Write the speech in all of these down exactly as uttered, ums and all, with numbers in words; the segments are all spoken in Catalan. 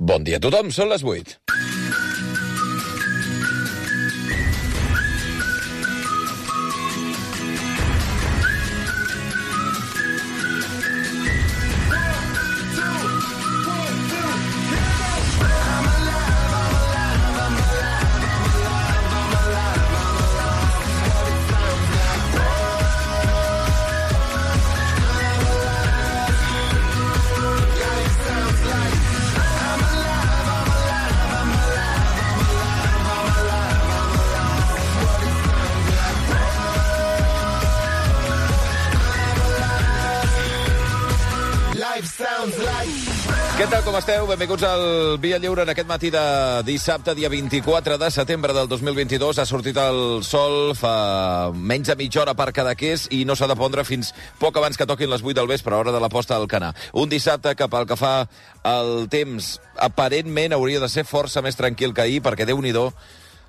Bon dia a tothom, són les vuit. Què tal, com esteu? Benvinguts al Via Lliure en aquest matí de dissabte, dia vint-i-quatre de setembre del dos mil vint-i-dos. Ha sortit el sol fa menys de mitja hora per Cadaqués i no s'ha de pondre fins poc abans que toquin les vuit del vespre, a hora de la posta del Canà. Un dissabte que, pel que fa al temps, aparentment hauria de ser força més tranquil que ahir, perquè Déu-n'hi-do,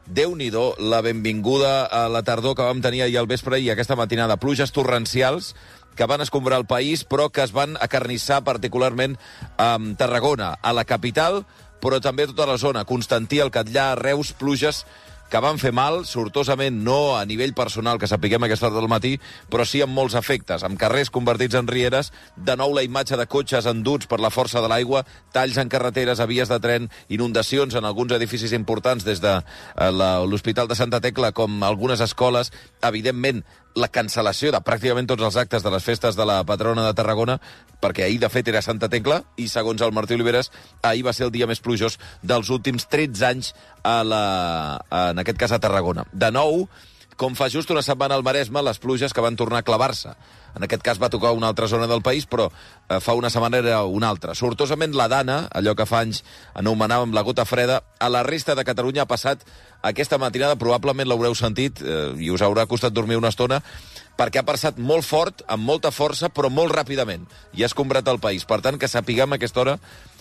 Déu-n'hi-do la benvinguda a la tardor que vam tenir ahir al vespre i aquesta matinada. Pluges torrencials que van escombrar el país, però que es van acarnissar particularment a Tarragona, a la capital, però també a tota la zona. Constantí, el Catllar, Reus, pluges que van fer mal, sortosament no a nivell personal, que sapiguem a aquesta hora del matí, però sí amb molts efectes, amb carrers convertits en rieres, de nou la imatge de cotxes enduts per la força de l'aigua, talls en carreteres, a vies de tren, inundacions en alguns edificis importants, des de l'Hospital de Santa Tecla com algunes escoles, evidentment la cancel·lació de pràcticament tots els actes de les festes de la patrona de Tarragona, perquè ahir, de fet, era Santa Tecla, i, segons el Martí Oliveres, ahir va ser el dia més plujós dels últims tretze anys, a la, en aquest cas a Tarragona. De nou, com fa just una setmana al Maresme, les pluges que van tornar a clavar-se. En aquest cas va tocar una altra zona del país, però eh, fa una setmana era una altra. Sortosament la Dana, allò que fa anys anomenàvem la gota freda, a la resta de Catalunya ha passat aquesta matinada, probablement l'haureu sentit, eh, i us haurà costat dormir una estona, perquè ha passat molt fort, amb molta força, però molt ràpidament, i ha escombrat el país. Per tant, que sapiguem a aquesta hora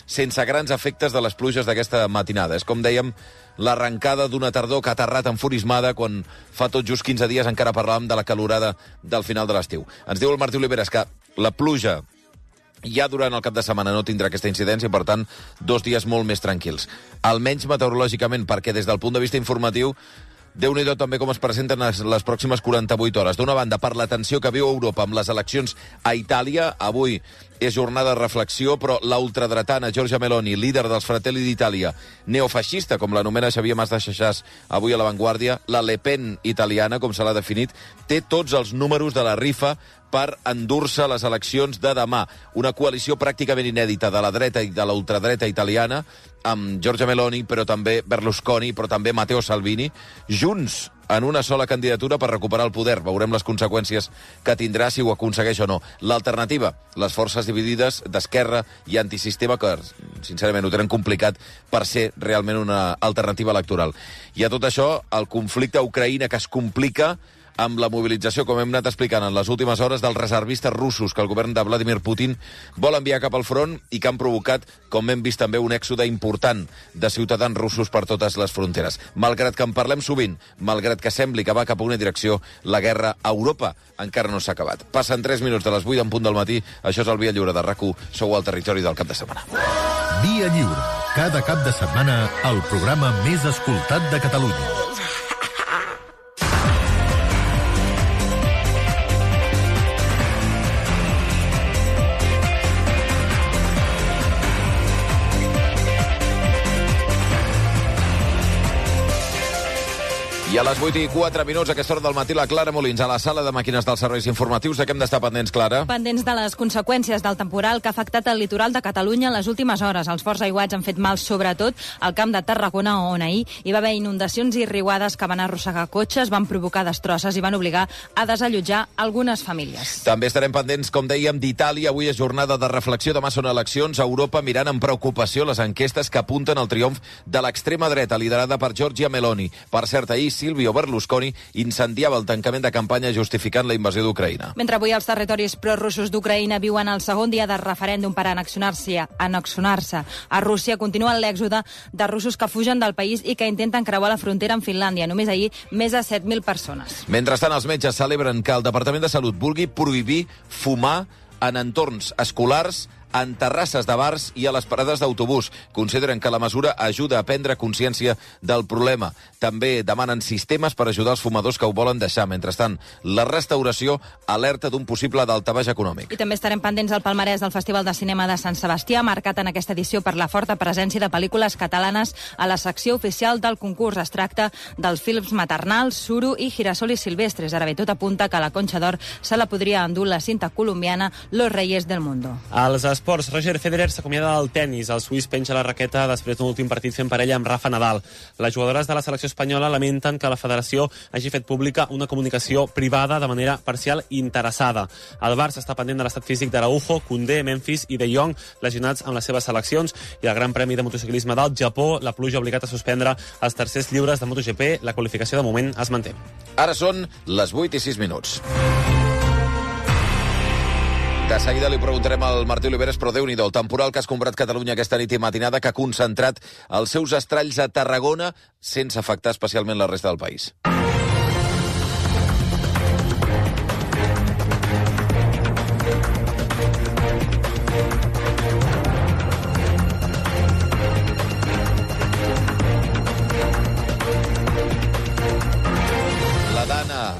sense grans efectes de les pluges d'aquesta matinada. És, com dèiem, l'arrencada d'una tardor que ha aterrat enfurismada quan fa tot just quinze dies encara parlàvem de la calorada del final de l'estiu. Ens diu el Martí Oliveres que la pluja ja durant el cap de setmana no tindrà aquesta incidència, per tant, dos dies molt més tranquils. Almenys meteorològicament, perquè des del punt de vista informatiu, Déu-n'hi-do també com es presenten les, les pròximes quaranta-vuit hores. D'una banda, per la tensió que viu Europa amb les eleccions a Itàlia, avui és jornada de reflexió, però la ultradretana Giorgia Meloni, líder dels Fratelli d'Itàlia, neofeixista, com l'anomena Xavier Mas de Xaxàs avui a La Vanguardia, la Le Pen italiana, com se l'ha definit, té tots els números de la rifa per endur-se les eleccions de demà. Una coalició pràcticament inèdita de la dreta i de la ultradreta italiana, amb Giorgia Meloni, però també Berlusconi, però també Matteo Salvini, junts en una sola candidatura per recuperar el poder. Veurem les conseqüències que tindrà si ho aconsegueix o no. L'alternativa, les forces dividides d'esquerra i antisistema, que sincerament ho tenen complicat per ser realment una alternativa electoral. I a tot això, el conflicte a Ucraïna, que es complica amb la mobilització, com hem anat explicant en les últimes hores, dels reservistes russos que el govern de Vladimir Putin vol enviar cap al front i que han provocat, com hem vist també, un èxode important de ciutadans russos per totes les fronteres. Malgrat que en parlem sovint, malgrat que sembli que va cap a una direcció, la guerra a Europa encara no s'ha acabat. Passen tres minuts de les vuit en punt del matí. Això és el Via Lliure de RAC u. Sou al territori del cap de setmana. Via Lliure. Cada cap de setmana, el programa més escoltat de Catalunya. I a les vuit i quatre minuts, a aquesta hora del matí, la Clara Molins, a la sala de màquines dels serveis informatius. De què hem d'estar pendents, Clara? Pendents de les conseqüències del temporal que ha afectat el litoral de Catalunya en les últimes hores. Els forts aiguats han fet mal, sobretot, al camp de Tarragona, on ahir hi va haver inundacions i riuades que van arrossegar cotxes, van provocar destrosses i van obligar a desallotjar algunes famílies. També estarem pendents, com dèiem, d'Itàlia. Avui és jornada de reflexió, demà són eleccions a Europa, mirant amb preocupació les enquestes que apunten al triomf de l'extrema dreta, liderada per Giorgia Meloni. Per cert, ahir Silvio Berlusconi incendiava el tancament de campanya justificant la invasió d'Ucraïna. Mentre avui els territoris prorussos d'Ucraïna viuen el segon dia de referèndum per annexionar-se annexionar-se a Rússia, continua l'èxode de russos que fugen del país i que intenten creuar la frontera amb Finlàndia. Només ahir, més de set mil persones. Mentrestant, els metges celebren que el Departament de Salut vulgui prohibir fumar en entorns escolars en terrasses de bars i a les parades d'autobús. Consideren que la mesura ajuda a prendre consciència del problema. També demanen sistemes per ajudar els fumadors que ho volen deixar. Mentrestant, la restauració alerta d'un possible daltabaix econòmic. I també estarem pendents del palmarès del Festival de Cinema de Sant Sebastià, marcat en aquesta edició per la forta presència de pel·lícules catalanes a la secció oficial del concurs. Es tracta dels films Maternal, Suro i Girasol i Silvestres. Ara bé, tot apunta que la Conxa d'Or se la podria endur la cinta colombiana Los Reyes del Mundo. Als esports, Roger Federer s'acomiada del tennis. El suís penja la raqueta després d'un últim partit fent parella amb Rafa Nadal. Les jugadores de la selecció espanyola lamenten que la federació hagi fet pública una comunicació privada de manera parcial i interessada. El Barça està pendent de l'estat físic d'Araujo, Koundé, Memphis i De Jong, lesionats amb les seves seleccions, i el Gran Premi de Motociclisme del Japó, la pluja ha obligat a suspendre els tercers lliures de MotoGP. La qualificació de moment es manté. Ara són les vuit i sis minuts. De seguida li preguntarem al Martí Oliveres, però Déu-n'hi-do, el temporal que ha escombrat Catalunya aquesta nit i matinada, que ha concentrat els seus estralls a Tarragona sense afectar especialment la resta del país.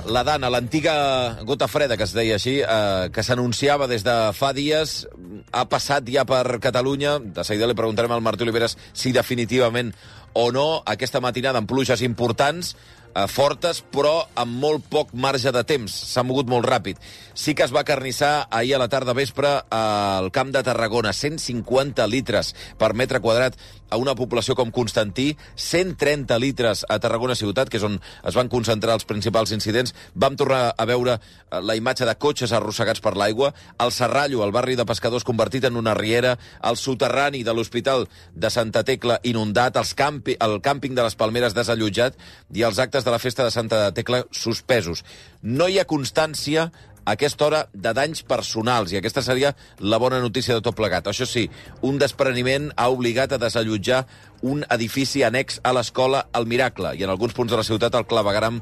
La Dana, l'antiga gota freda, que es deia així, eh, que s'anunciava des de fa dies, ha passat ja per Catalunya. De seguida li preguntarem al Martí Oliveres si definitivament o no aquesta matinada amb pluges importants, eh, fortes, però amb molt poc marge de temps. S'ha mogut molt ràpid. Sí que es va carnissar ahir a la tarda vespre al Camp de Tarragona. cent cinquanta litres per metre quadrat a una població com Constantí, cent trenta litres a Tarragona ciutat, que és on es van concentrar els principals incidents. Vam tornar a veure la imatge de cotxes arrossegats per l'aigua, el Serrallo, el barri de pescadors convertit en una riera, el soterrani de l'Hospital de Santa Tecla inundat, els campi, el càmping de les Palmeres desallotjat i els actes de la festa de Santa Tecla suspesos. No hi ha constància a aquesta hora de danys personals, i aquesta seria la bona notícia de tot plegat. Això sí, un despreniment ha obligat a desallotjar un edifici annex a l'escola El Miracle, i en alguns punts de la ciutat el clavegram,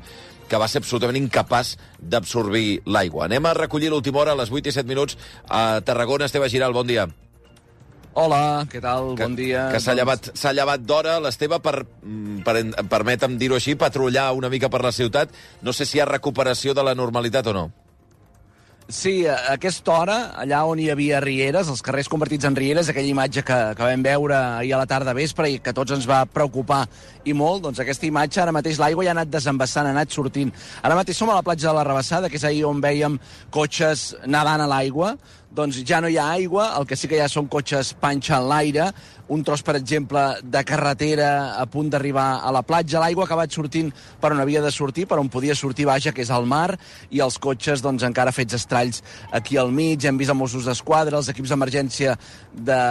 que va ser absolutament incapaç d'absorbir l'aigua. Anem a recollir l'última hora a les vuit i set minuts a Tarragona. Esteve Giral, bon dia. Hola, què tal? Que, bon dia. Que s'ha llevat, s'ha llevat d'hora, l'Esteve, per, per, permetem dir-ho així, patrullar una mica per la ciutat. No sé si hi ha recuperació de la normalitat o no. Sí, a aquesta hora, allà on hi havia rieres, els carrers convertits en rieres, aquella imatge que, que vam veure ahir a la tarda vespre i que a tots ens va preocupar i molt, doncs aquesta imatge, ara mateix l'aigua ja ha anat desembassant, ha anat sortint. Ara mateix som a la platja de la Rabassada, que és ahir on vèiem cotxes nedant a l'aigua. Doncs ja no hi ha aigua, el que sí que hi ha són cotxes panxa en l'aire, un tros, per exemple, de carretera a punt d'arribar a la platja. L'aigua ha acabat sortint per on havia de sortir, per on podia sortir, vaja, que és al mar, i els cotxes, doncs, encara fets estralls aquí al mig. Hem vist els Mossos d'Esquadra, els equips d'emergència de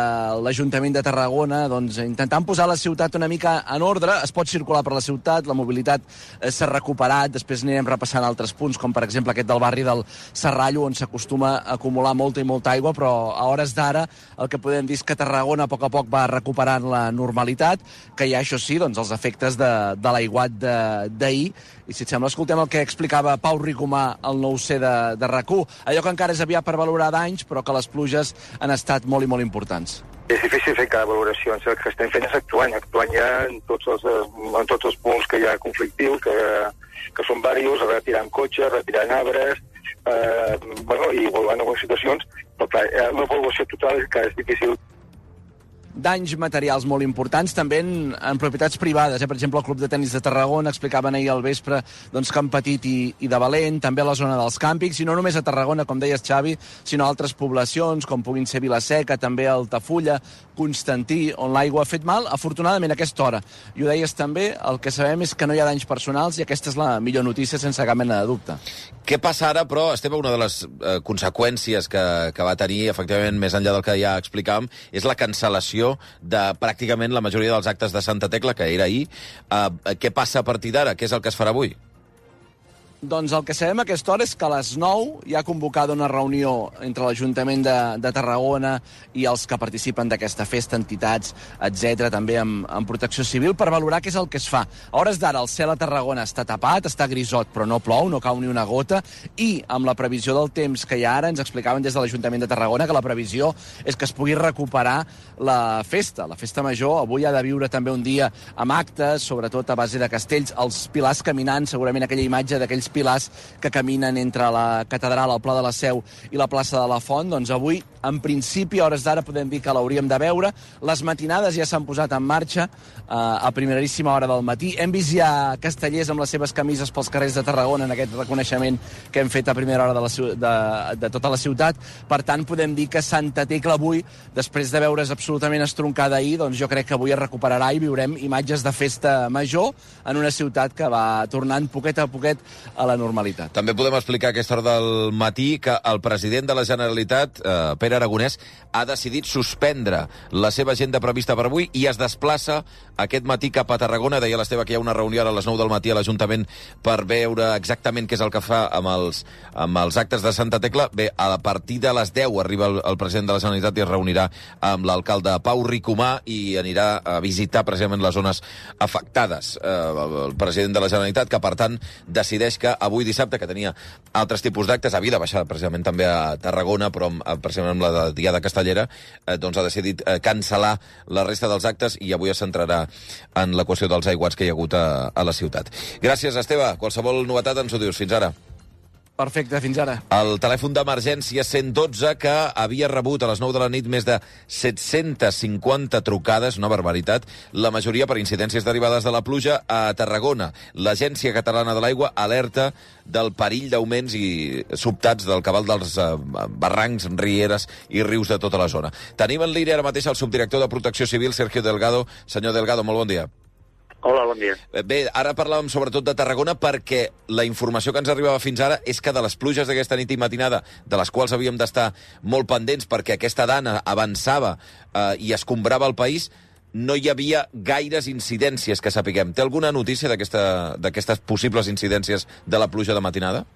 l'Ajuntament de Tarragona, doncs, intentant posar la ciutat una mica en ordre. Es pot circular per la ciutat, la mobilitat s'ha recuperat, després anirem repassant altres punts, com per exemple aquest del barri del Serrallo, on s'acostuma a acumular molta i molta aigua, però a hores d'ara el que podem dir és que Tarragona a poc a poc va recuperant la normalitat, que hi ha, això sí, doncs, els efectes de, de l'aiguat d'ahir. I si et sembla, escoltem el que explicava Pau Ricomà al nou C de, de RAC u. Allò que encara és aviat per valorar danys, però que les pluges han estat molt i molt importants. És difícil fer cada valoració. El que estem fent és actuant, actuant ja en tots els, en tots els punts que hi ha conflictius, que, que són diversos, retirant cotxes, retirant arbres, eh, bueno, i volvant a algunes situacions, però clar, una valoració total és que és difícil. Danys materials molt importants, també en, en propietats privades. Eh? Per exemple, el Club de Tenis de Tarragona explicaven ahir al vespre doncs, que han patit i, i de valent, també a la zona dels càmpings, i no només a Tarragona, com deies, Xavi, sinó a altres poblacions, com puguin ser Vilaseca, també Altafulla, Constantí, on l'aigua ha fet mal, afortunadament a aquesta hora. I ho deies també, el que sabem és que no hi ha danys personals, i aquesta és la millor notícia, sense cap mena de dubte. Què passa ara, però, Esteve, una de les eh, conseqüències que, que va tenir, efectivament, més enllà del que ja explicàvem, és la cancel·lació de pràcticament la majoria dels actes de Santa Tecla, que era ahir. Uh, què passa a partir d'ara? Què és el que es farà avui? Doncs el que sabem a aquesta hora és que a les nou hi ha convocada una reunió entre l'Ajuntament de, de Tarragona i els que participen d'aquesta festa, entitats, etcètera, també amb, amb protecció civil, per valorar què és el que es fa. A hores d'ara el cel a Tarragona està tapat, està grisot, però no plou, no cau ni una gota, i amb la previsió del temps que hi ha ara, ens explicaven des de l'Ajuntament de Tarragona que la previsió és que es pugui recuperar la festa. La festa major avui ha de viure també un dia amb actes, sobretot a base de castells, els pilars caminant, segurament aquella imatge d'aquells pilars que caminen entre la catedral, el Pla de la Seu i la plaça de la Font, doncs avui, en principi, a hores d'ara podem dir que l'hauríem de veure. Les matinades ja s'han posat en marxa eh, a primeríssima hora del matí. Hem vist ja castellers amb les seves camises pels carrers de Tarragona en aquest reconeixement que hem fet a primera hora de, la, de, de tota la ciutat. Per tant, podem dir que Santa Tecla avui, després de veure's absolutament estroncada ahir, doncs jo crec que avui es recuperarà i viurem imatges de festa major en una ciutat que va tornant poquet a poquet a la normalitat. També podem explicar a aquesta hora del matí que el president de la Generalitat, eh, Pere Aragonès, ha decidit suspendre la seva agenda prevista per avui i es desplaça aquest matí cap a Tarragona. Deia l'Esteve que hi ha una reunió ara a les nou del matí a l'Ajuntament per veure exactament què és el que fa amb els, amb els actes de Santa Tecla. Bé, a partir de les deu arriba el, el president de la Generalitat i es reunirà amb l'alcalde Pau Ricomà i anirà a visitar precisament les zones afectades. Eh, el president de la Generalitat, que per tant decideix que avui dissabte, que tenia altres tipus d'actes, havia de baixar precisament també a Tarragona, però amb, precisament amb la Diada Castellera, eh, doncs ha decidit eh, cancel·lar la resta dels actes i avui es centrarà en la qüestió dels aiguats que hi ha hagut a, a la ciutat. Gràcies, Esteve. Qualsevol novetat ens ho dius. Fins ara. Perfecte, fins ara. El telèfon d'emergència cent dotze, que havia rebut a les nou de la nit més de set-centes cinquanta trucades, una barbaritat, la majoria per incidències derivades de la pluja a Tarragona. L'Agència Catalana de l'Aigua alerta del perill d'augments i sobtats del cabal dels eh, barrancs, rieres i rius de tota la zona. Tenim en línia ara mateix el subdirector de Protecció Civil, Sergio Delgado. Senyor Delgado, molt bon dia. Hola, bon dia. Bé, ara parlàvem sobretot de Tarragona perquè la informació que ens arribava fins ara és que de les pluges d'aquesta nit i matinada, de les quals havíem d'estar molt pendents perquè aquesta dana avançava eh, i escombrava el país, no hi havia gaires incidències que sapiguem. Té alguna notícia d'aquestes possibles incidències de la pluja de matinada?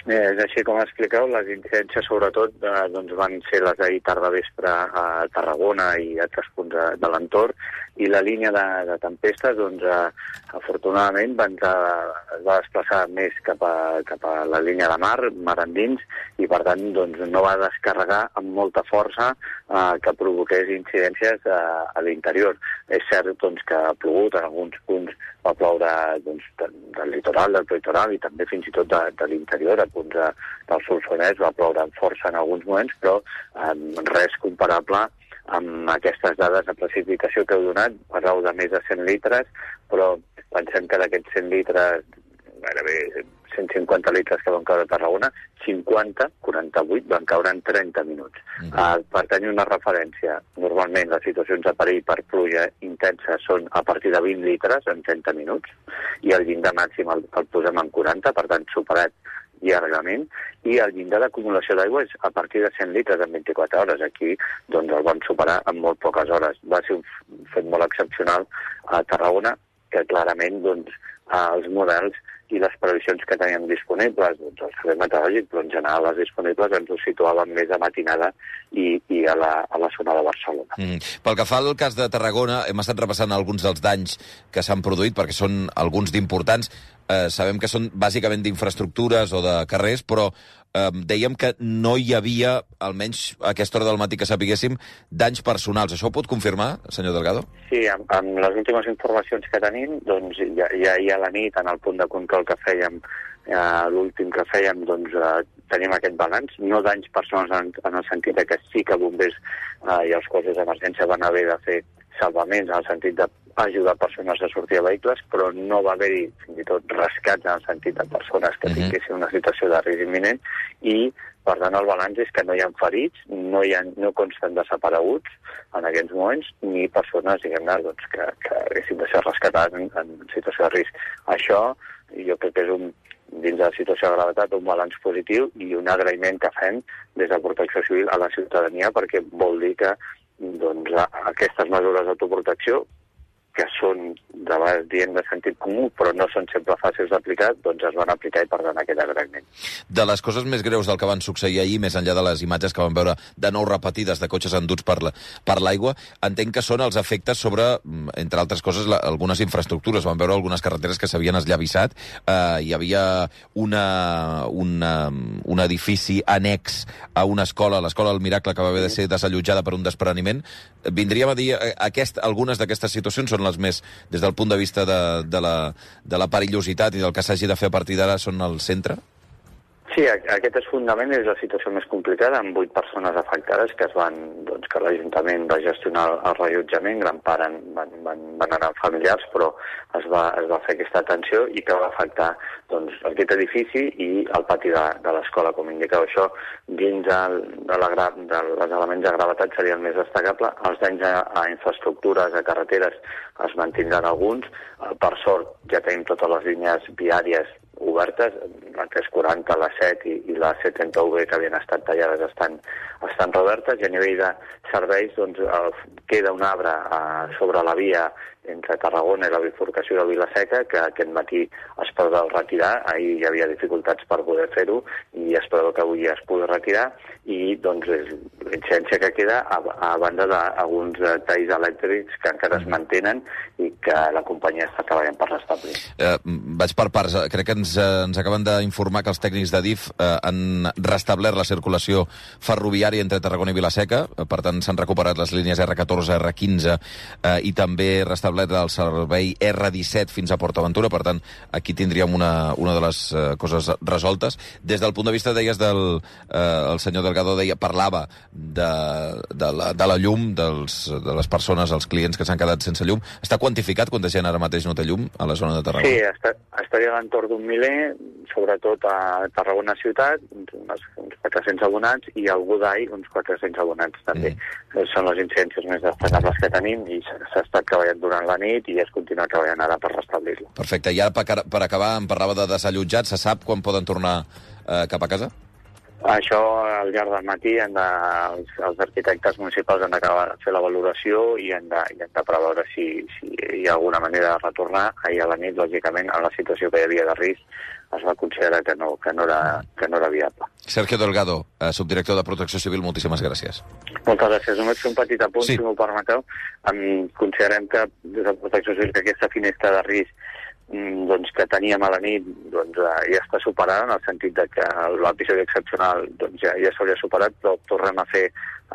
Eh, és així com expliqueu, les incidències sobretot eh, doncs van ser les d'ahir tarda vespre a Tarragona i a altres punts de, de l'entorn, i la línia de, de tempestes, doncs, eh, afortunadament, van, eh, es va desplaçar més cap a, cap a la línia de mar, mar endins, i per tant doncs, no va descarregar amb molta força eh, que provoqués incidències eh, a l'interior. És cert doncs, que ha plogut en alguns punts, va ploure doncs, de, del litoral, del prelitoral i també fins i tot de, de l'interior, a punts de, del Solsonès, va ploure amb força en alguns moments, però eh, res comparable amb aquestes dades de precipitació que heu donat. Parleu de més de cent litres, però pensem que d'aquests cent litres, gairebé cent cinquanta litres que van caure a Tarragona, cinquanta, quaranta-vuit, van caure en trenta minuts. Uh-huh. Uh, per tenir una referència, normalment les situacions de perill per pluja intensa són a partir de vint litres en trenta minuts, i el llindar màxim el, el posem en quaranta, per tant superat llargament, i el llindar d'acumulació d'aigua és a partir de cent litres en vint-i-quatre hores. Aquí doncs, el van superar en molt poques hores. Va ser un fet molt excepcional a Tarragona, que clarament doncs, els models i les previsions que teníem disponibles, doncs el servei meteorològic, però en general les disponibles ens ho situaven més a matinada i, i a, la, a la zona de Barcelona. Mm. Pel que fa al cas de Tarragona, hem estat repassant alguns dels danys que s'han produït, perquè són alguns d'importants. Eh, sabem que són bàsicament d'infraestructures o de carrers, però eh, dèiem que no hi havia, almenys a aquesta hora del matí que sapiguéssim, danys personals. Això ho pot confirmar, senyor Delgado? Sí, amb, amb les últimes informacions que tenim, doncs ja, ja, ja a la nit, en el punt de control que fèiem, eh, l'últim que fèiem, doncs eh, tenim aquest balanç. No danys personals en, en el sentit de que sí que bombers eh, i els cossos d'emergència van haver de fer salvaments en el sentit d'ajudar persones a sortir a vehicles, però no va haver-hi fins i tot rescats en el sentit de persones que tinguessin una situació de risc imminent, i per tant el balanç és que no hi ha ferits, no, hi ha, no consten desapareguts en aquests moments, ni persones, diguem-ne, doncs, que, que haguessin de ser rescatades en, en situació de risc. Això jo crec que és un, dins de la situació de gravetat, un balanç positiu i un agraïment que fem des de Protecció Civil a la ciutadania, perquè vol dir que doncs, aquestes mesures d'autoprotecció que són de vegades dient de sentit comú, però no són sempre fàcils d'aplicar, doncs es van aplicar i per tant aquest agraïment. De les coses més greus del que van succeir ahir, més enllà de les imatges que vam veure de nou repetides de cotxes enduts per la, per l'aigua, entenc que són els efectes sobre, entre altres coses, la, algunes infraestructures. Vam veure algunes carreteres que s'havien esllavissat, eh, hi havia una, una, un edifici annex a una escola, l'escola del Miracle, que va haver de ser desallotjada per un despreniment. Vindríem a dir, aquest, algunes d'aquestes situacions són les més, des del punt de vista de, de, la, de la perillositat i del que s'hagi de fer a partir d'ara, són al centre? Sí, aquest és fundament, és la situació més complicada, amb vuit persones afectades que es van, doncs, que l'Ajuntament va gestionar el rellotjament, gran part van, van, van anar familiars, però es va, es va fer aquesta atenció i que va afectar, doncs, aquest edifici i el pati de, de l'escola, com indicava això. Dins el, de la, de les elements de gravetat seria el més destacable. Els danys a, a infraestructures, a carreteres, es mantindran alguns. Per sort, ja tenim totes les línies viàries obertes, la tres quaranta, la set i, i la C trenta U B que havien estat tallades estan, estan reobertes, i a nivell de serveis doncs, el, queda un arbre a, sobre la via entre Tarragona i la bifurcació de Vila-seca, que aquest matí es preveu retirar. Ahir hi havia dificultats per poder fer-ho i es preveu que avui ja es pugui retirar, i doncs és la incidència que queda a, a banda d'alguns talls elèctrics que encara es mantenen i que la companyia està treballant per restablir. Eh, vaig per parts. Crec que ens, ens acaben d'informar que els tècnics de D I F eh, han restablert la circulació ferroviària entre Tarragona i Vila-seca, per tant s'han recuperat les línies R catorze, R quinze eh, i també restablert el servei R disset fins a PortAventura, per tant aquí tindríem una, una de les eh, coses resoltes. Des del punt de vista, deies, del eh, el senyor Delgado deia, parlava de, de, la, de la llum, dels, de les persones, els clients que s'han quedat sense llum. Està quantificat quanta gent ara mateix no té llum a la zona de Tarragona? Sí, està, estaria a l'entorn d'un miler, sobretot a Tarragona ciutat, uns, uns quatre-cents abonats, i al Godall uns quatre-cents abonats també. Mm. Són les incidències més destacables que tenim i s'ha estat treballant durant la nit i es continua treballant ara per restablir-lo. Perfecte. I ara, per acabar, em parlava de desallotjats. Se sap quan poden tornar eh, cap a casa? Això, al llarg del matí, han de, els, els arquitectes municipals han d'acabar de fer la valoració i han de, i han de preveure si, si hi ha alguna manera de retornar. Ahir a la nit, lògicament, en la situació que hi havia de risc, es va considerar que no, que no, era, que no era viable. Sergio Delgado, eh, subdirector de Protecció Civil, moltíssimes gràcies. Moltes gràcies. Només fer un petit apunt, sí. Si m'ho permeteu. Um, considerem que des de Protecció Civil que aquesta finestra de risc doncs, que teníem a la nit doncs, ja està superada, en el sentit de que l'episodi excepcional doncs, ja, ja s'hauria superat, però tornem a fer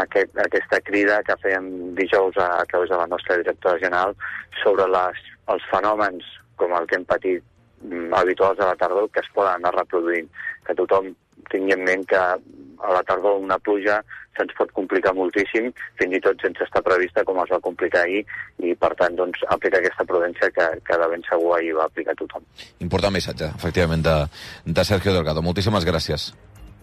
aquest, aquesta crida que fèiem dijous a, a través de la nostra directora general sobre les, els fenòmens com el que hem patit mm, habituals a la tardor que es poden anar reproduint, que tothom tingui en ment que a la tardor una pluja se'ns pot complicar moltíssim, fins i tot sense estar prevista com es va complicar ahir, i per tant doncs, aplicar aquesta prudència que, que de ben segur ahir va aplicar tothom. Important missatge, efectivament, de, de Sergio Delgado. Moltíssimes gràcies.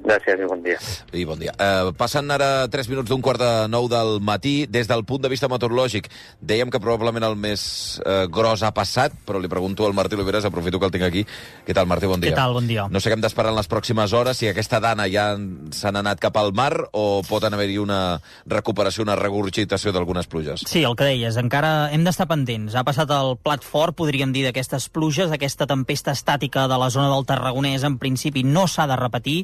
Gràcies i bon dia. I bon dia. Eh, passant ara tres minuts d'un quart de nou del matí, des del punt de vista meteorològic, dèiem que probablement el més eh, gros ha passat, però li pregunto al Martí Oliveres, aprofito que el tinc aquí. Què tal, Martí? Bon dia. Què tal? Bon dia. No sé què hem d'esperar en les pròximes hores, si aquesta dana ja s'han anat cap al mar o pot haver-hi una recuperació, una regurgitació d'algunes pluges. Sí, el que deies, encara hem d'estar pendents. Ha passat el plat fort, podríem dir, d'aquestes pluges, aquesta tempesta estàtica de la zona del Tarragonès, en principi no s'ha de repetir,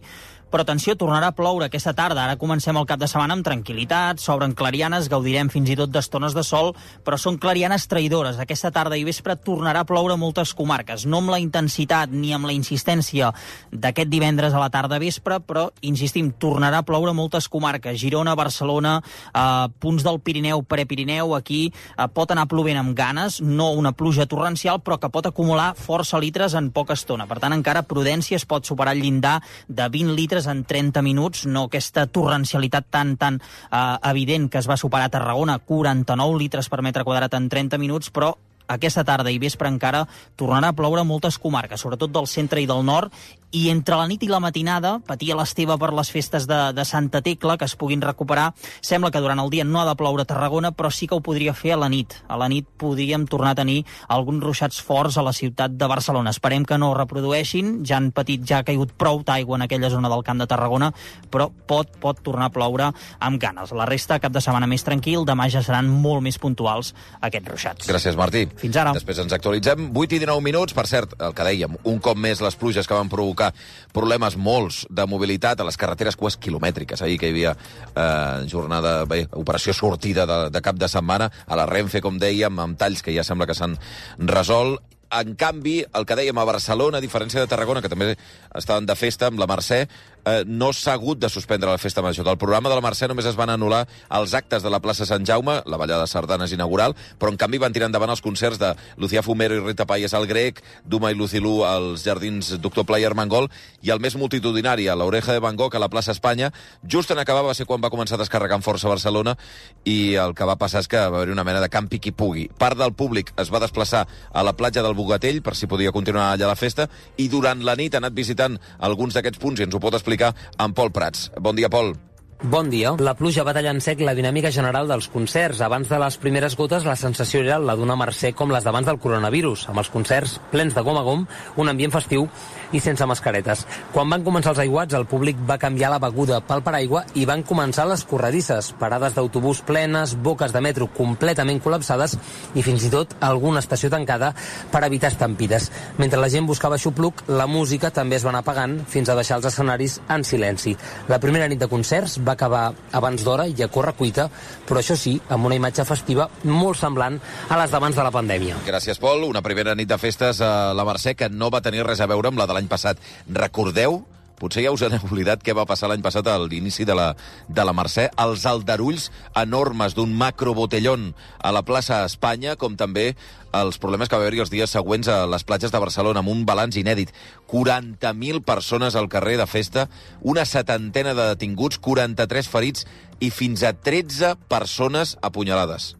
però atenció, tornarà a ploure aquesta tarda. Ara comencem el cap de setmana amb tranquil·litat, s'obren clarianes, gaudirem fins i tot d'estones de sol, però són clarianes traïdores. Aquesta tarda i vespre tornarà a ploure a moltes comarques, no amb la intensitat ni amb la insistència d'aquest divendres a la tarda vespre, però, insistim, tornarà a ploure a moltes comarques. Girona, Barcelona, eh, punts del Pirineu, Prepirineu, aquí eh, pot anar plovent amb ganes, no una pluja torrencial, però que pot acumular força litres en poca estona. Per tant, encara prudència, es pot superar el llindar de vint litres en trenta minuts, no aquesta torrencialitat tan, tan eh, evident que es va superar a Tarragona, quaranta-nou litres per metre quadrat en trenta minuts, però aquesta tarda i vespre encara tornarà a ploure a moltes comarques, sobretot del centre i del nord, i entre la nit i la matinada, patia l'Esteve per les festes de, de Santa Tecla, que es puguin recuperar. Sembla que durant el dia no ha de ploure a Tarragona, però sí que ho podria fer a la nit. A la nit podríem tornar a tenir alguns ruixats forts a la ciutat de Barcelona. Esperem que no ho reprodueixin, ja han patit, ja ha caigut prou d'aigua en aquella zona del Camp de Tarragona, però pot, pot tornar a ploure amb ganes. La resta, cap de setmana més tranquil, demà ja seran molt més puntuals aquests ruixats. Gràcies, Martí. Fins ara. Després ens actualitzem. vuit i dinou minuts, per cert, el que dèiem, un cop més les pluges que van provocar problemes molts de mobilitat a les carreteres quasi quilomètriques. Ahir que hi havia eh, jornada, bé, operació sortida de, de cap de setmana, a la Renfe, com dèiem, amb talls que ja sembla que s'han resolt. En canvi, el que dèiem a Barcelona, a diferència de Tarragona, que també estaven de festa amb la Mercè, eh, no s'ha hagut de suspendre la festa major. Del programa de la Mercè només es van anul·lar els actes de la plaça Sant Jaume, la ballada de sardanes inaugural, però en canvi van tirar endavant els concerts de Lucía Fumero i Rita Payés al Grec, Duma i Lucilú als Jardins Doctor Pla i Armengol, i el més multitudinari, a l'Oreja de Van Gogh, a la plaça Espanya. Just en acabar va ser quan va començar a descarregar amb força a Barcelona, i el que va passar és que va haver una mena de campi qui pugui. Part del públic es va desplaçar a la platja del Bogatell, per si podia continuar allà la festa, i durant la nit ha anat visitant alguns d'aquests punts, i ens ho pot explicar en Pol Prats. Bon dia, Pol. Bon dia. La pluja va tallar en sec la dinàmica general dels concerts. Abans de les primeres gotes, la sensació era la d'una Mercè com les d'abans del coronavirus, amb els concerts plens de gom a gom, un ambient festiu i sense mascaretes. Quan van començar els aiguats, el públic va canviar la beguda pel paraigua i van començar les corredisses, parades d'autobús plenes, boques de metro completament col·lapsades i fins i tot alguna estació tancada per evitar estampides. Mentre la gent buscava xupluc, la música també es va anar apagant fins a deixar els escenaris en silenci. La primera nit de concerts va acabar abans d'hora i a corre-cuita, però això sí, amb una imatge festiva molt semblant a les d'abans de la pandèmia. Gràcies, Pol. Una primera nit de festes a la Mercè que no va tenir res a veure amb la de l'any passat. Recordeu? Potser ja us han oblidat què va passar l'any passat a l'inici de la, de la Mercè. Els aldarulls enormes d'un macrobotellón a la plaça Espanya, com també els problemes que va haver-hi els dies següents a les platges de Barcelona, amb un balanç inèdit. quaranta mil persones al carrer de festa, una setantena de detinguts, quaranta-tres ferits i fins a tretze persones apunyalades.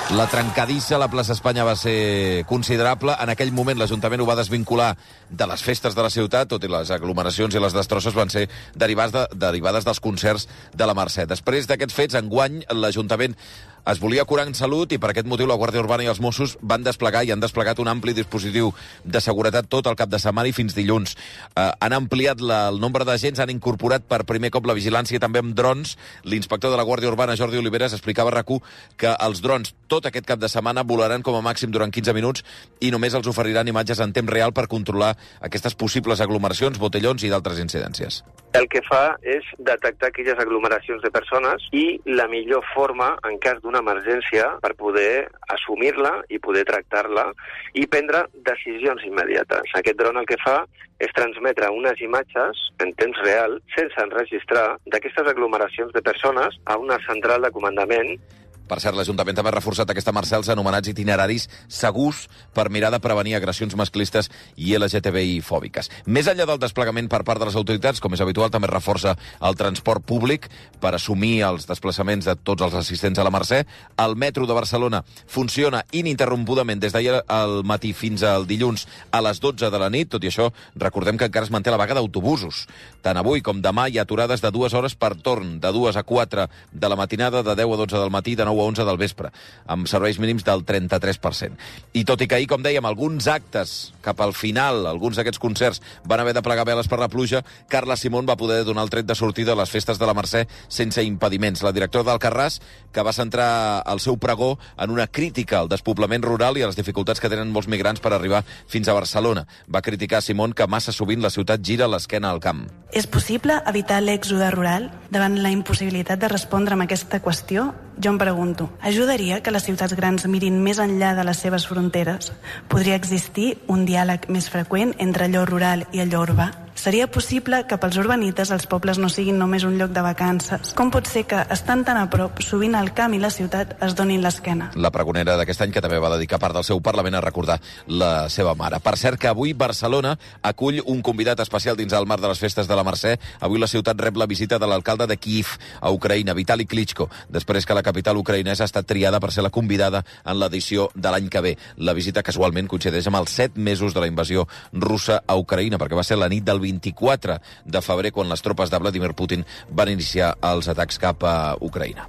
La trencadissa a la plaça Espanya va ser considerable. En aquell moment l'Ajuntament ho va desvincular de les festes de la ciutat, tot i les aglomeracions i les destrosses van ser derivades, de, derivades dels concerts de la Mercè. Després d'aquests fets, enguany, l'Ajuntament es volia curar en salut i per aquest motiu la Guàrdia Urbana i els Mossos van desplegar i han desplegat un ampli dispositiu de seguretat tot el cap de setmana i fins dilluns. Eh, han ampliat la, el nombre d'agents, han incorporat per primer cop la vigilància també amb drons. L'inspector de la Guàrdia Urbana, Jordi Oliveres, explicava a RAC u que els drons tot aquest cap de setmana volaran com a màxim durant quinze minuts i només els oferiran imatges en temps real per controlar aquestes possibles aglomeracions, botellons i d'altres incidències. El que fa és detectar aquelles aglomeracions de persones i la millor forma, en cas d'una emergència, per poder assumir-la i poder tractar-la i prendre decisions immediates. Aquest dron el que fa és transmetre unes imatges en temps real, sense enregistrar, d'aquestes aglomeracions de persones a una central de comandament. Per cert, l'Ajuntament també ha reforçat aquesta Mercè els anomenats itineraris segurs per mirar de prevenir agressions masclistes i L G T B I fòbiques. Més enllà del desplegament per part de les autoritats, com és habitual, també reforça el transport públic per assumir els desplaçaments de tots els assistents a la Mercè. El metro de Barcelona funciona ininterrompudament des d'ahir al matí fins al dilluns a les dotze de la nit. Tot i això, recordem que encara es manté la vaga d'autobusos. Tant avui com demà hi ha aturades de dues hores per torn, de dues a quatre de la matinada, de deu a dotze del matí, de nou a onze del vespre, amb serveis mínims del trenta-tres per cent. I tot i que ahir, com dèiem, alguns actes cap al final, alguns d'aquests concerts van haver de plegar veles per la pluja, Carla Simón va poder donar el tret de sortida a les festes de la Mercè sense impediments. La directora d'Alcarràs, que va centrar el seu pregó en una crítica al despoblament rural i a les dificultats que tenen molts migrants per arribar fins a Barcelona. Va criticar Simón que massa sovint la ciutat gira l'esquena al camp. És possible evitar l'èxode rural davant la impossibilitat de respondre amb aquesta qüestió? Jo em pregunto, ajudaria que les ciutats grans mirin més enllà de les seves fronteres? Podria existir un diàleg més freqüent entre allò rural i allò urbà? Seria possible que pels urbanites els pobles no siguin només un lloc de vacances. Com pot ser que, estant tan a prop, sovint el camp i la ciutat es donin l'esquena? La pregonera d'aquest any, que també va dedicar part del seu Parlament a recordar la seva mare. Per cert, que avui Barcelona acull un convidat especial dins el marc de les festes de la Mercè. Avui la ciutat rep la visita de l'alcalde de Kíev, a Ucraïna, Vitali Klitschko, després que la capital ucraïnesa ha estat triada per ser la convidada en l'edició de l'any que ve. La visita casualment coincideix amb els set mesos de la invasió russa a Ucraïna, perquè va ser la nit del vint-i-quatre de febrer quan les tropes de Vladimir Putin van iniciar els atacs cap a Ucraïna.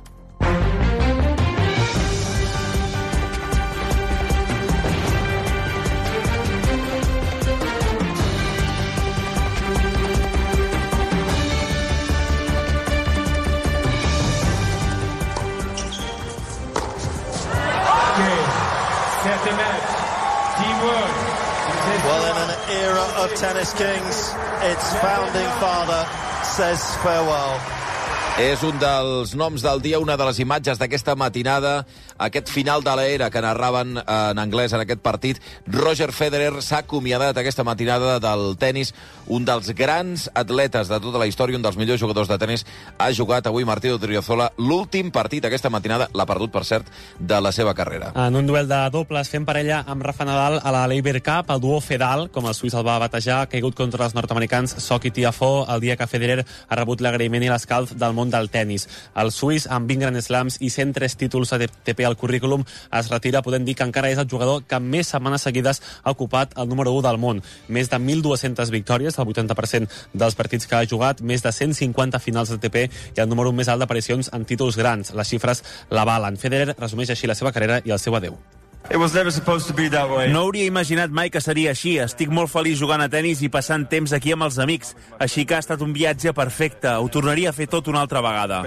Well, in an era of tennis kings, its founding father says farewell. És un dels noms del dia, una de les imatges d'aquesta matinada, aquest final de l'era que narraven en anglès en aquest partit. Roger Federer s'ha acomiadat aquesta matinada del tennis, un dels grans atletes de tota la història, un dels millors jugadors de tennis. Ha jugat avui Martí Odriozola l'últim partit aquesta matinada, l'ha perdut, per cert, de la seva carrera. En un duel de dobles fent parella amb Rafa Nadal a la Laver Cup, el duo Fedal, com el suís el va batejar, ha caigut contra els nord-americans Sock i Tiafoe el dia que Federer ha rebut l'agraïment i l'escalf del món del tennis. El suís, amb vint Grand Slams i cent tres títols A T P al currículum, es retira, podem dir que encara és el jugador que més setmanes seguides ha ocupat el número u del món. Més de mil dues-centes victòries, el vuitanta per cent dels partits que ha jugat, més de cent cinquanta finals A T P i el número un més alt d'aparicions en títols grans. Les xifres l'avalen. Federer resumeix així la seva carrera i el seu adeu. No hauria imaginat mai que seria així. Estic molt feliç jugant a tennis i passant temps aquí amb els amics. Així que ha estat un viatge perfecte. Ho tornaria a fer tot una altra vegada.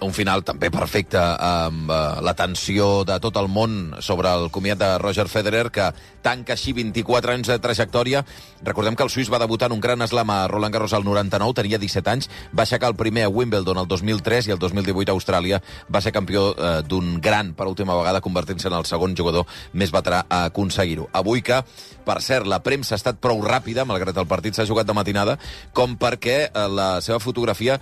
Un final també perfecte, amb uh, l'atenció de tot el món sobre el comiat de Roger Federer, que tanca així vint-i-quatre anys de trajectòria. Recordem que el suís va debutar en un gran slam a Roland Garros al noranta-nou, tenia disset anys, va aixecar el primer a Wimbledon el dos mil tres i el dos mil divuit a Austràlia va ser campió uh, d'un gran per última vegada, convertint-se en el segon jugador més veterà a aconseguir-ho. Avui que, per cert, la premsa ha estat prou ràpida, malgrat el partit s'ha jugat de matinada, com perquè la seva fotografia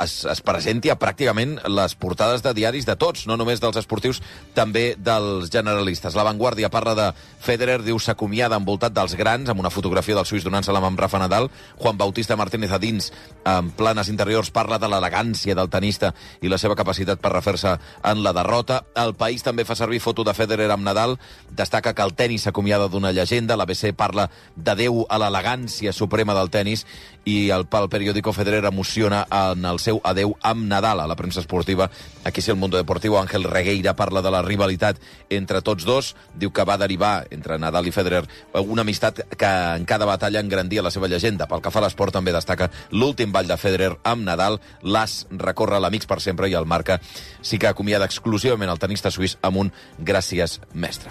Es, es presenti a pràcticament les portades de diaris de tots, no només dels esportius, també dels generalistes. La Vanguardia parla de Federer, diu s'acomiada envoltat dels grans, amb una fotografia del suís donant-se-la amb Rafa Nadal. Juan Bautista Martínez a dins, en planes interiors, parla de l'elegància del tenista i la seva capacitat per refer-se en la derrota. El País també fa servir foto de Federer amb Nadal, destaca que el tenis s'acomiada d'una llegenda, l'A B C parla d'adeu a l'elegància suprema del tenis, i el, el periòdico Federer emociona en el seu adeu amb Nadal a la premsa esportiva. Aquí sí, el Mundo Deportivo, Ángel Regueira parla de la rivalitat entre tots dos, diu que va derivar entre Nadal i Federer una amistat que en cada batalla engrandia la seva llegenda. Pel que fa a l'esport també destaca l'últim ball de Federer amb Nadal, l'As recorre l'Amics per sempre i el Marca sí que acomiada exclusivament el tenista suís amb un gràcies mestre.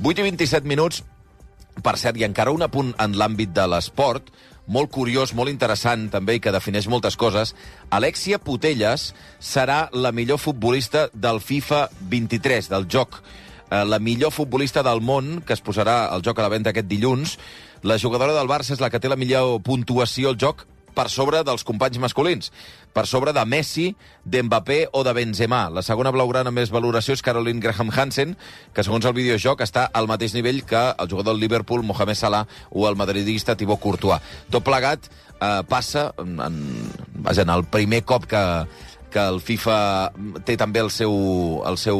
vuit i vint-i-set minuts, per cert, i encara un apunt en l'àmbit de l'esport, molt curiós, molt interessant també, i que defineix moltes coses. Alexia Putellas serà la millor futbolista del FIFA vint-i-tres, del joc. La millor futbolista del món, que es posarà al joc a la venda aquest dilluns. La jugadora del Barça és la que té la millor puntuació al joc, per sobre dels companys masculins, per sobre de Messi, d'Mbappé o de Benzema. La segona blaugrana amb més valoració és Caroline Graham Hansen, que segons el videojoc està al mateix nivell que el jugador del Liverpool, Mohamed Salah, o el madridista Thibaut Courtois. Tot plegat eh, passa en, en, en el primer cop que que el FIFA té també el seu, el seu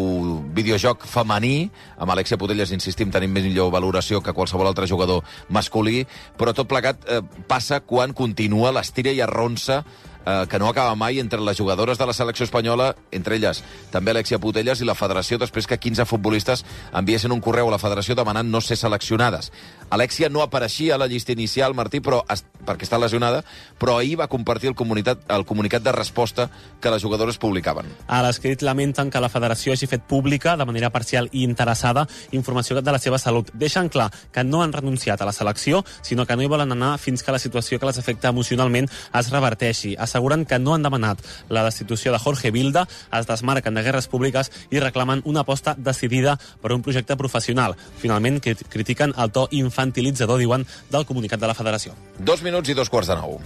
videojoc femení, amb Alexia Putellas, insistim, tenim més millor valoració que qualsevol altre jugador masculí, però tot plegat eh, passa quan continua l'estira i arronsa eh, que no acaba mai entre les jugadores de la selecció espanyola, entre elles també Alexia Putellas, i la federació, després que quinze futbolistes enviessin un correu a la federació demanant no ser seleccionades. Alexia no apareixia a la llista inicial, Martí, però perquè està lesionada, però ahir va compartir el, comunitat, el comunicat de resposta que les jugadores publicaven. A l'escrit lamenten que la federació hagi fet pública, de manera parcial i interessada, informació de la seva salut. Deixen clar que no han renunciat a la selecció, sinó que no hi volen anar fins que la situació que les afecta emocionalment es reverteixi. asseguren que no han demanat la destitució de Jorge Vilda, es desmarquen de guerres públiques i reclamen una aposta decidida per un projecte professional. Finalment, critiquen el to infantilitzador, diuen, del comunicat de la Federació. Dos minuts i dos quarts de nou.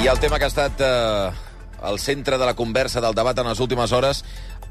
I el tema que ha estat eh, al centre de la conversa del debat en les últimes hores,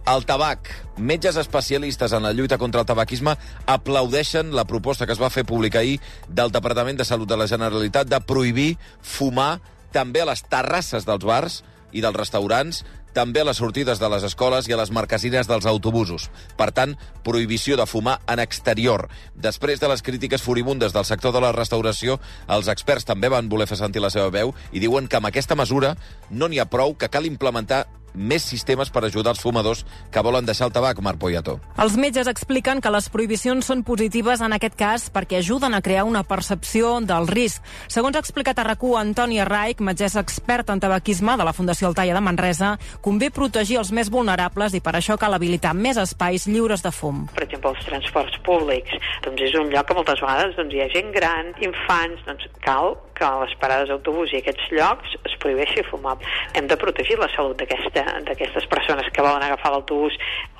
el tabac. Metges especialistes en la lluita contra el tabaquisme aplaudeixen la proposta que es va fer pública ahir del Departament de Salut de la Generalitat de prohibir fumar també a les terrasses dels bars i dels restaurants, també a les sortides de les escoles i a les marquesines dels autobusos. Per tant, prohibició de fumar en exterior. Després de les crítiques furibundes del sector de la restauració, els experts també van voler fer sentir la seva veu i diuen que amb aquesta mesura no n'hi ha prou, que cal implementar més sistemes per ajudar els fumadors que volen deixar el tabac, Marc Poyato. Els metges expliquen que les prohibicions són positives en aquest cas perquè ajuden a crear una percepció del risc. Segons ha explicat a RAC u Antònia Raich, metgessa experta en tabaquisme de la Fundació Altaia de Manresa, convé protegir els més vulnerables i per això cal habilitar més espais lliures de fum. Per exemple, els transports públics. Doncs és un lloc que moltes vegades doncs, hi ha gent gran, infants, doncs cal que a les parades d'autobús i aquests llocs es prohibeixi fumar. Hem de protegir la salut d'aquesta d'aquestes persones que volen agafar l'autobús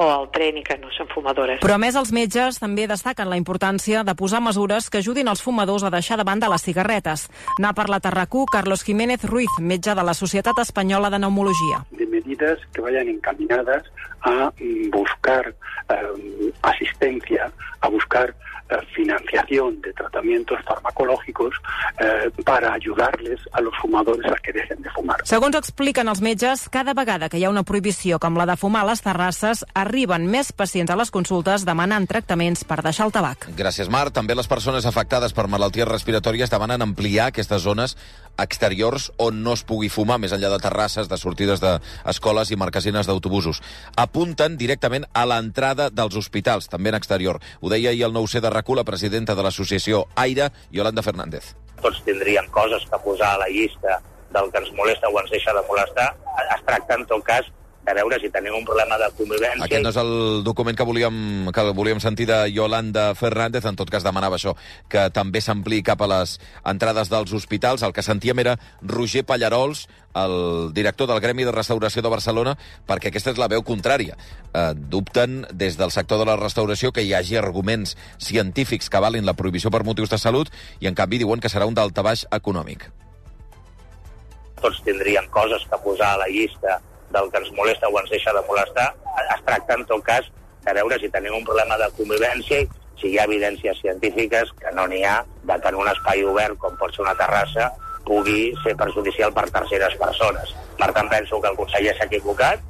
o el tren i que no són fumadores. Però a més els metges també destaquen la importància de posar mesures que ajudin els fumadors a deixar de banda les cigarretes. N'ha parlat a RAC u Carlos Jiménez Ruiz, metge de la Societat Espanyola de Neumologia. De medidas que vayan encaminadas a buscar eh, asistencia, a buscar eh, financiación de tratamientos farmacológicos eh, para ayudarles a los fumadores a que dejen de fumar. Segons expliquen els metges, cada vegada que hi ha una prohibició com la de fumar a les terrasses, arriben més pacients a les consultes demanant tractaments per deixar el tabac. Gràcies, Marc. També les persones afectades per malalties respiratòries demanen ampliar aquestes zones exteriors on no es pugui fumar, més enllà de terrasses, de sortides d'escoles i marquesines d'autobusos. Apunten directament a l'entrada dels hospitals, també en exterior. Ho deia ahir el nou C de RAC u la presidenta de l'associació AIRE, Yolanda Fernández. Tots tindríem coses que posar a la llista del que ens molesta o ens deixa de molestar. Es tracta, en tot cas, de veure si tenim un problema de convivència. Aquest no és el document que volíem, que volíem sentir de Yolanda Fernández, en tot cas demanava això, que també s'ampliï cap a les entrades dels hospitals. El que sentíem era Roger Pallarols, el director del Gremi de Restauració de Barcelona, perquè aquesta és la veu contrària. Eh, dubten des del sector de la restauració que hi hagi arguments científics que avalin la prohibició per motius de salut i, en canvi, diuen que serà un daltabaix econòmic. Tots tindríem coses que posar a la llista del que ens molesta o ens deixa de molestar. Es tracta, en tot cas, de veure si tenim un problema de convivència i si hi ha evidències científiques, que no n'hi ha, de que en un espai obert, com pot ser una terrassa, pugui ser perjudicial per terceres persones. Per tant, penso que el conseller s'ha equivocat.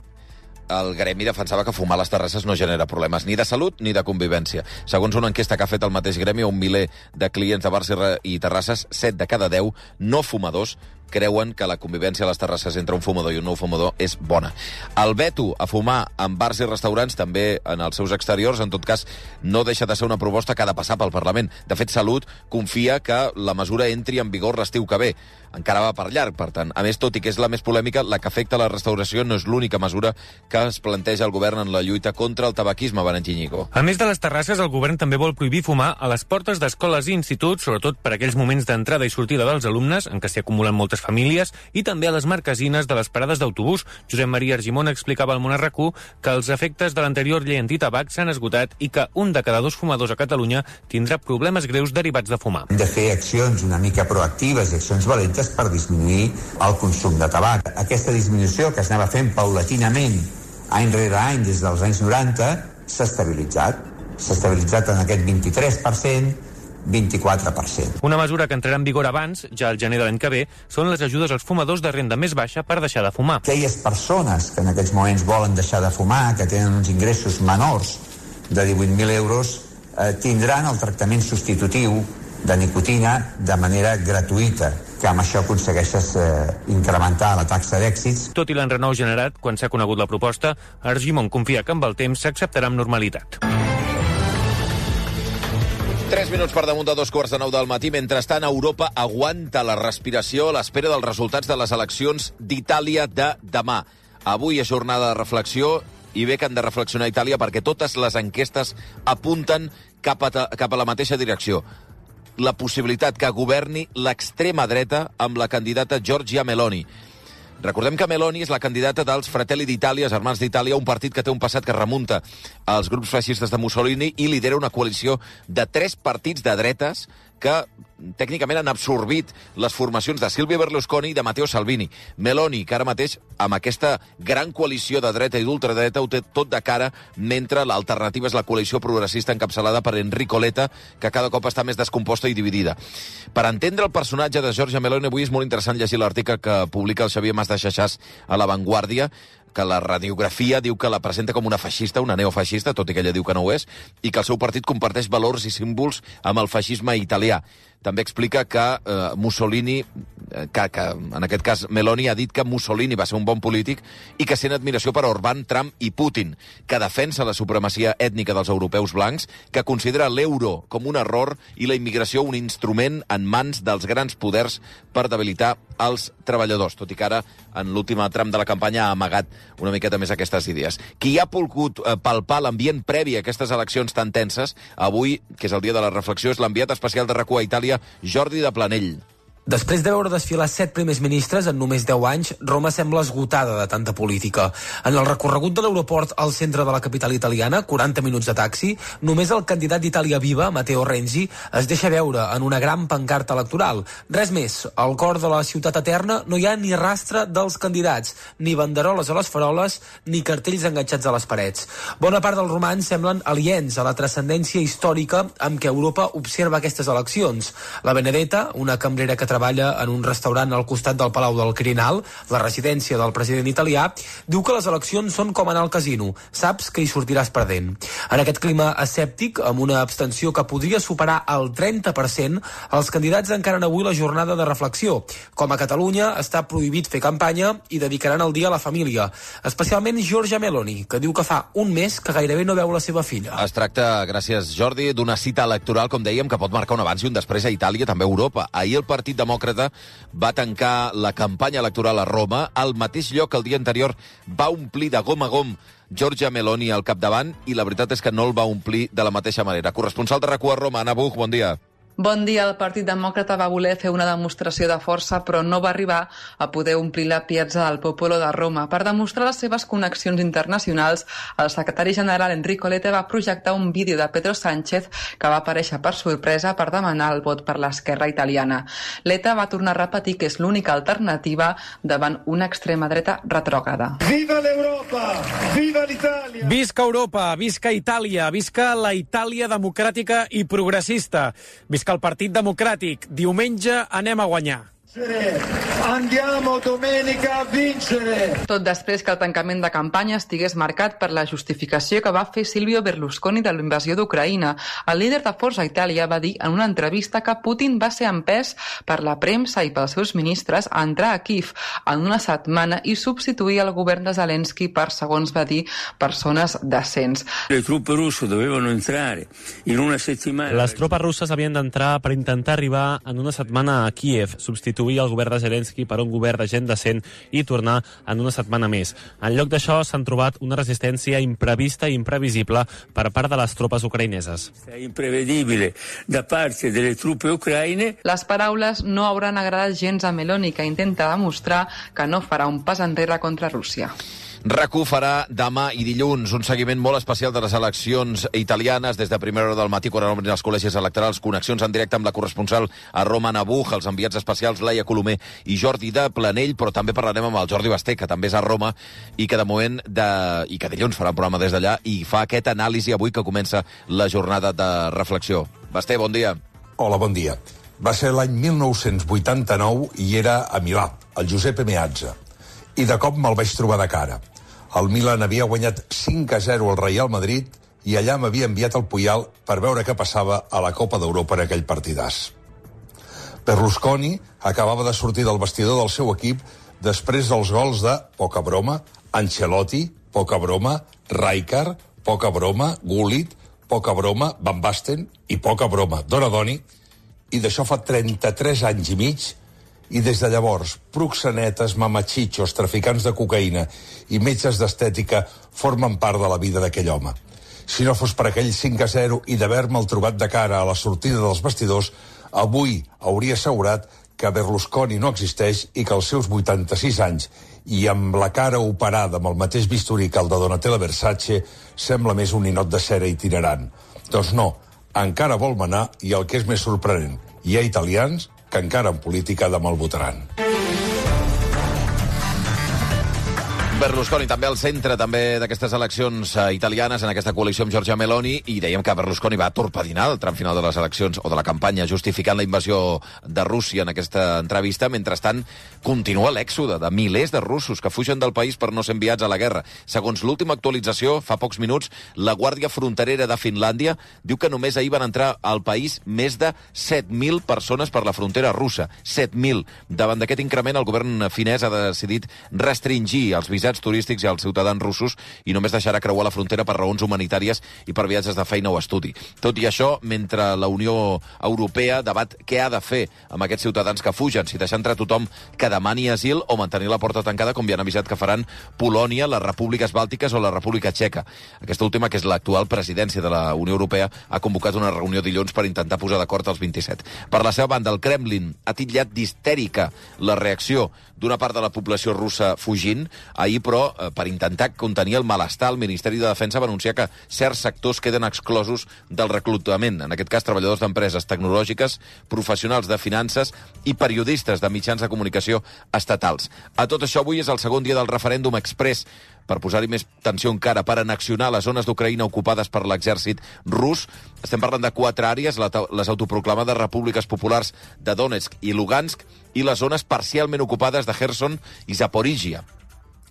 El gremi defensava que fumar a les terrasses no genera problemes ni de salut ni de convivència. Segons una enquesta que ha fet el mateix gremi a un miler de clients de bars i terrasses, set de cada deu no fumadors creuen que la convivència a les terrasses entre un fumador i un no fumador és bona. El veto a fumar en bars i restaurants, també en els seus exteriors, en tot cas, no deixa de ser una proposta que ha de passar pel Parlament. De fet, Salut confia que la mesura entri en vigor l'estiu que ve. Encara va per llarg, per tant. A més, tot i que és la més polèmica, la que afecta la restauració no és l'única mesura que es planteja el govern en la lluita contra el tabaquisme, Valentí Ñigo. A més de les terrasses, el govern també vol prohibir fumar a les portes d'escoles i instituts, sobretot per aquells moments d'entrada i sortida dels alumnes, en què s'hi acumulen moltes famílies, i també a les marquesines de les parades d'autobús. Josep Maria Argimon explicava al Món a RAC u que els efectes de l'anterior llei antitabac s'han esgotat i que un de cada dos fumadors a Catalunya tindrà problemes greus derivats de fumar. Hem de fer accions una mica proactives i accions valentes per disminuir el consum de tabac. Aquesta disminució que es anava fent paulatinament any rere any des dels anys noranta s'ha estabilitzat. S'ha estabilitzat en aquest vint-i-tres per cent, vint-i-quatre per cent. Una mesura que entrarà en vigor abans, ja al gener de l'any que ve, són les ajudes als fumadors de renda més baixa per deixar de fumar. Aquelles persones que en aquests moments volen deixar de fumar, que tenen uns ingressos menors de divuit mil euros, eh, tindran el tractament substitutiu de nicotina de manera gratuïta, que amb això aconsegueixes eh, incrementar la taxa d'èxits. Tot i l'enrenou generat, quan s'ha conegut la proposta, Argimon confia que amb el temps s'acceptarà amb normalitat. Tres minuts per damunt de dos quarts de nou del matí. Mentrestant, Europa aguanta la respiració a l'espera dels resultats de les eleccions d'Itàlia de demà. Avui és jornada de reflexió i bé que han de reflexionar a Itàlia perquè totes les enquestes apunten cap a, cap a la mateixa direcció. la possibilitat que governi l'extrema dreta amb la candidata Giorgia Meloni. Recordem que Meloni és la candidata dels Fratelli d'Itàlia, els Germans d'Itàlia, un partit que té un passat que remunta als grups feixistes de Mussolini i lidera una coalició de tres partits de dretes que tècnicament han absorbit les formacions de Silvio Berlusconi i de Matteo Salvini. Meloni, que ara mateix, amb aquesta gran coalició de dreta i d'ultradreta, ho té tot de cara, mentre l'alternativa és la coalició progressista encapçalada per Enrico Letta, que cada cop està més descomposta i dividida. Per entendre el personatge de Giorgia Meloni, avui és molt interessant llegir l'article que publica el Xavier Mas de Xaxàs a La Vanguardia, que la radiografia diu que la presenta com una feixista, una neofeixista, tot i que ella diu que no ho és, i que el seu partit comparteix valors i símbols amb el feixisme italià. També explica que eh, Mussolini, que, que en aquest cas Meloni ha dit que Mussolini va ser un bon polític i que sent admiració per Orbán, Trump i Putin, que defensa la supremacia ètnica dels europeus blancs, que considera l'euro com un error i la immigració un instrument en mans dels grans poders per debilitar els treballadors, tot i que ara en l'últim tram de la campanya ha amagat una miqueta més aquestes idees. Qui ha pogut eh, palpar l'ambient previ a aquestes eleccions tan tenses, avui, que és el dia de la reflexió, és l'enviat especial de RAC u a Itàlia, Jordi de Planell. Després de veure desfilar set primers ministres en només deu anys, Roma sembla esgotada de tanta política. En el recorregut de l'aeroport al centre de la capital italiana, quaranta minuts de taxi, només el candidat d'Itàlia Viva, Matteo Renzi, es deixa veure en una gran pancarta electoral. Res més, al cor de la ciutat eterna no hi ha ni rastre dels candidats, ni banderoles a les faroles, ni cartells enganxats a les parets. Bona part dels romans semblen aliens a la transcendència històrica amb què Europa observa aquestes eleccions. La Benedetta, una cambrera que treballa en un restaurant al costat del Palau del Quirinal, la residència del president italià, diu que les eleccions són com anar al casino. Saps que hi sortiràs perdent. En aquest clima escèptic, amb una abstenció que podria superar el trenta per cent, els candidats encaren avui la jornada de reflexió. Com a Catalunya està prohibit fer campanya i dedicaran el dia a la família. Especialment Giorgia Meloni, que diu que fa un mes que gairebé no veu la seva filla. Es tracta, gràcies Jordi, d'una cita electoral, com dèiem, que pot marcar un abans i un després a Itàlia, també a Europa. Ahir el Partit Demòcrata va tancar la campanya electoral a Roma, al mateix lloc que el dia anterior va omplir de gom a gom Giorgia Meloni al capdavant, i la veritat és que no el va omplir de la mateixa manera. Corresponsal de RAC u a Roma, Anna Buch, bon dia. Bon dia. El Partit Demòcrata va voler fer una demostració de força, però no va arribar a poder omplir la Piazza del Popolo de Roma. Per demostrar les seves connexions internacionals, el secretari general Enrico Letta va projectar un vídeo de Pedro Sánchez que va aparèixer per sorpresa per demanar el vot per l'esquerra italiana. Letta va tornar a repetir que és l'única alternativa davant una extrema dreta retrògrada. Viva l'Europa! Viva l'Itàlia! Visca Europa! Visca Itàlia! Visca la Itàlia democràtica i progressista! Visca el Partit Democràtic. Diumenge anem a guanyar. Andiamo domenica a vincere! Tot després que el tancament de campanya estigués marcat per la justificació que va fer Silvio Berlusconi de la invasió d'Ucraïna. El líder de Força Itàlia va dir en una entrevista que Putin va ser empès per la premsa i pels seus ministres a entrar a Kiev en una setmana i substituir el govern de Zelensky per, segons va dir, persones decents. Le truppe russe dovevano entrare in una settimana. Les tropes russes havien d'entrar per intentar arribar en una setmana a Kiev, substituir el govern de Zelensky per un govern de gent decent i tornar en una setmana més. En lloc d'això s'han trobat una resistència imprevista i imprevisible per part de les tropes ucraïneses. Imprevedibile da parte delle truppe ucraïne. Les paraules no hauran agradat gens a Meloni, que intenta demostrar que no farà un pas enrere contra Rússia. RAC u farà demà i dilluns un seguiment molt especial de les eleccions italianes des de primera hora del matí, quan obrin els col·legis electorals, connexions en directe amb la corresponsal a Roma, Anna Buch, els enviats especials Laia Colomer i Jordi de Planell, però també parlarem amb el Jordi Basté, que també és a Roma i que de moment, de... i que dilluns farà un programa des d'allà i fa aquest anàlisi avui que comença la jornada de reflexió. Basté, bon dia. Hola, bon dia. Va ser l'any mil nou-cents vuitanta-nou i era a Milà, el Giuseppe Meazza. I de cop me'l vaig trobar de cara. El Milan havia guanyat cinc a zero al Real Madrid i allà m'havia enviat el Puyal per veure què passava a la Copa d'Europa en aquell partidàs. Berlusconi acabava de sortir del vestidor del seu equip després dels gols de, poca broma, Ancelotti, poca broma, Rijkaard, poca broma, Gullit, poca broma, Van Basten i poca broma, Donadoni, i d'això fa trenta-tres anys i mig. I des de llavors, proxenetes, mamachitxos, traficants de cocaïna i metges d'estètica formen part de la vida d'aquell home. Si no fos per aquell cinc a zero i d'haver-me'l trobat de cara a la sortida dels vestidors, avui hauria assegurat que Berlusconi no existeix i que als seus vuitanta-sis anys i amb la cara operada amb el mateix bisturí que el de Donatella Versace sembla més un ninot de cera itinerant. Doncs no, encara vol manar i el que és més sorprenent, hi ha italians que encara en política demà el votaran. Berlusconi també al centre també d'aquestes eleccions eh, italianes en aquesta coalició amb Giorgia Meloni, i dèiem que Berlusconi va torpedinar el tram final de les eleccions o de la campanya justificant la invasió de Rússia en aquesta entrevista. Mentrestant, continua l'èxode de milers de russos que fugen del país per no ser enviats a la guerra. Segons l'última actualització, fa pocs minuts, la Guàrdia Fronterera de Finlàndia diu que només ahir van entrar al país més de set mil persones per la frontera russa. set mil. Davant d'aquest increment, el govern finès ha decidit restringir els visats turístics i als ciutadans russos i només deixarà creuar la frontera per raons humanitàries i per viatges de feina o estudi. Tot i això, mentre la Unió Europea debat què ha de fer amb aquests ciutadans que fugen, si deixar entrar tothom que demani asil o mantenir la porta tancada, com ja han avisat que faran Polònia, les repúbliques bàltiques o la República Txeca. Aquesta última, que és l'actual presidència de la Unió Europea, ha convocat una reunió dilluns per intentar posar d'acord els vint-i-set. Per la seva banda, el Kremlin ha titllat d'histèrica la reacció d'una part de la població russa fugint. Ahir, però, per intentar contenir el malestar, el Ministeri de Defensa va anunciar que certs sectors queden exclosos del reclutament. En aquest cas, treballadors d'empreses tecnològiques, professionals de finances i periodistes de mitjans de comunicació estatals. A tot això, avui és el segon dia del referèndum express per posar-hi més tensió encara, per annexionar les zones d'Ucraïna ocupades per l'exèrcit rus. Estem parlant de quatre àrees, les autoproclamades repúbliques populars de Donetsk i Lugansk i les zones parcialment ocupades de Kherson i Zaporizhia.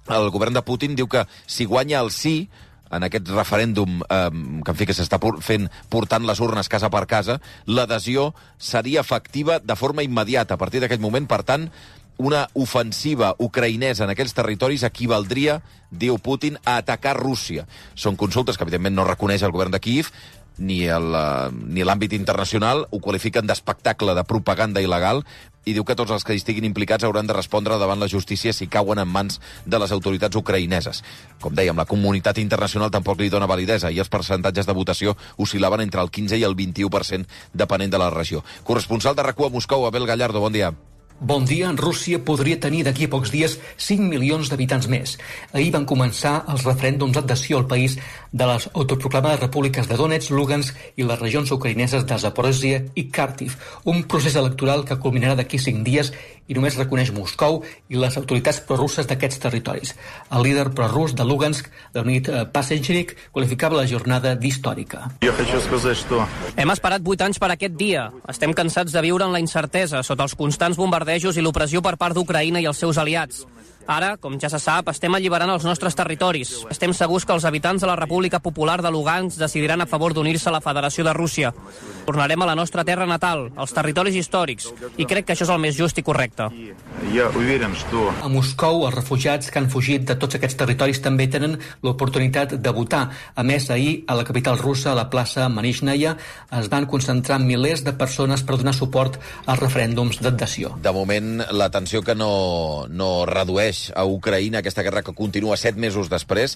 El govern de Putin diu que si guanya el sí en aquest referèndum eh, que en fi que s'està fent portant les urnes casa per casa, l'adhesió seria efectiva de forma immediata. A partir d'aquest moment, per tant, una ofensiva ucraïnesa en aquells territoris equivaldria, diu Putin, a atacar Rússia. Són consultes que, evidentment, no reconeix el govern de Kíev, ni l'àmbit internacional, ho qualifiquen d'espectacle de propaganda il·legal, i diu que tots els que hi estiguin implicats hauran de respondre davant la justícia si cauen en mans de les autoritats ucraïneses. Com dèiem, la comunitat internacional tampoc li dona validesa i els percentatges de votació oscil·laven entre el quinze i el vint-i-u per cent, depenent de la regió. Corresponsal de RAC u a Moscou, Abel Gallardo, bon dia. Bon dia. Rússia podria tenir d'aquí a pocs dies cinc milions d'habitants més. Ahir van començar els referèndums d'adhesió al país de les autoproclamades repúbliques de Donetsk, Lugansk i les regions ucraïneses de Zaporizhia i Kharkiv. Un procés electoral que culminarà d'aquí cinc dies i només reconeix Moscou i les autoritats prorusses d'aquests territoris. El líder prorus de Lugansk, Leonid Pasenchnik, qualificava la jornada d'històrica. Hem esperat vuit anys per aquest dia. Estem cansats de viure en la incertesa, sota els constants bombardejos i l'opressió per part d'Ucraïna i els seus aliats. Ara, com ja se sap, estem alliberant els nostres territoris. Estem segurs que els habitants de la República Popular de Lugansk decidiran a favor d'unir-se a la Federació de Rússia. Tornarem a la nostra terra natal, als territoris històrics, i crec que això és el més just i correcte. A Moscou, els refugiats que han fugit de tots aquests territoris també tenen l'oportunitat de votar. A més, ahir, a la capital russa, a la plaça Manishnaya, es van concentrar milers de persones per donar suport als referèndums d'adhesió. De moment, la tensió que no, no redueix a Ucraïna, aquesta guerra que continua set mesos després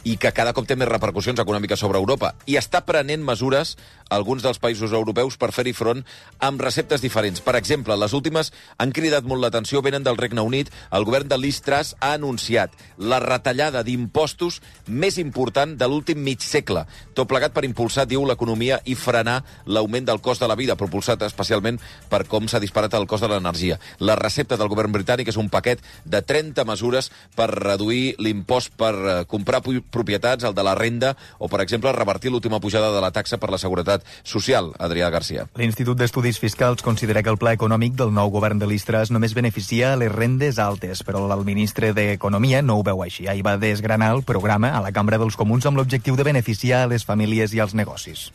i que cada cop té més repercussions econòmiques sobre Europa. I està prenent mesures alguns dels països europeus per fer-hi front amb receptes diferents. Per exemple, les últimes han cridat molt l'atenció, venen del Regne Unit. El govern de Liz Truss ha anunciat la retallada d'impostos més important de l'últim mig segle. Tot plegat per impulsar, diu, l'economia i frenar l'augment del cost de la vida, propulsat especialment per com s'ha disparat el cost de l'energia. La recepta del govern britànic és un paquet de trenta mesures per reduir l'impost per comprar propietats, el de la renda, o, per exemple, revertir l'última pujada de la taxa per la seguretat social. Adrià Garcia. L'Institut d'Estudis Fiscals considera que el pla econòmic del nou govern de Liz Truss només beneficia les rendes altes, però el ministre d'Economia no ho veu així. Ahir va desgranar el programa a la Cambra dels Comuns amb l'objectiu de beneficiar a les famílies i als negocis.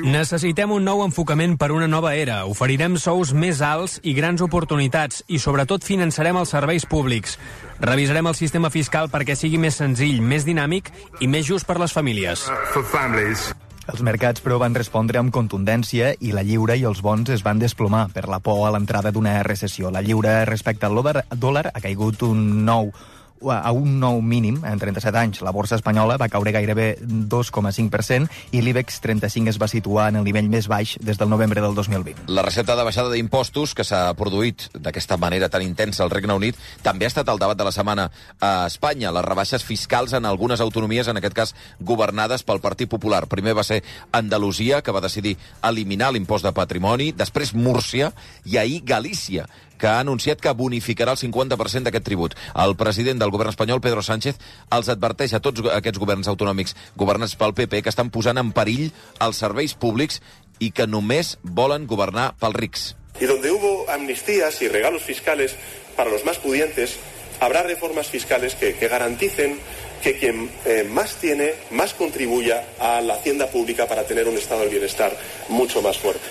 Necessitem un nou enfocament per una nova era. Oferirem sous més alts i grans oportunitats i, sobretot, finançarem els serveis públics. Revisarem el sistema fiscal perquè sigui més senzill, més dinàmic i més just per les famílies. Els mercats, però, van respondre amb contundència i la lliura i els bons es van desplomar per la por a l'entrada d'una recessió. La lliura respecte al dòlar ha caigut un nou a un nou mínim en trenta-set anys. La borsa espanyola va caure gairebé dos coma cinc per cent i l'IBEX trenta-cinc es va situar en el nivell més baix des del novembre del dos mil vint. La recepta de baixada d'impostos que s'ha produït d'aquesta manera tan intensa al Regne Unit també ha estat el debat de la setmana a Espanya. Les rebaixes fiscals en algunes autonomies, en aquest cas governades pel Partit Popular. Primer va ser Andalusia, que va decidir eliminar l'impost de patrimoni, després Múrcia i ahir Galícia, que ha anunciat que bonificarà el cinquanta per cent d'aquest tribut. El president del govern espanyol, Pedro Sánchez, els adverteix a tots aquests governs autonòmics governats pel P P que estan posant en perill els serveis públics i que només volen governar pels rics. Y donde hubo amnistías y regalos fiscales para los más pudientes, habrá reformas fiscales que, que garanticen que quien eh, más tiene, más contribuya a la hacienda pública para tener un estado del bienestar mucho más fuerte.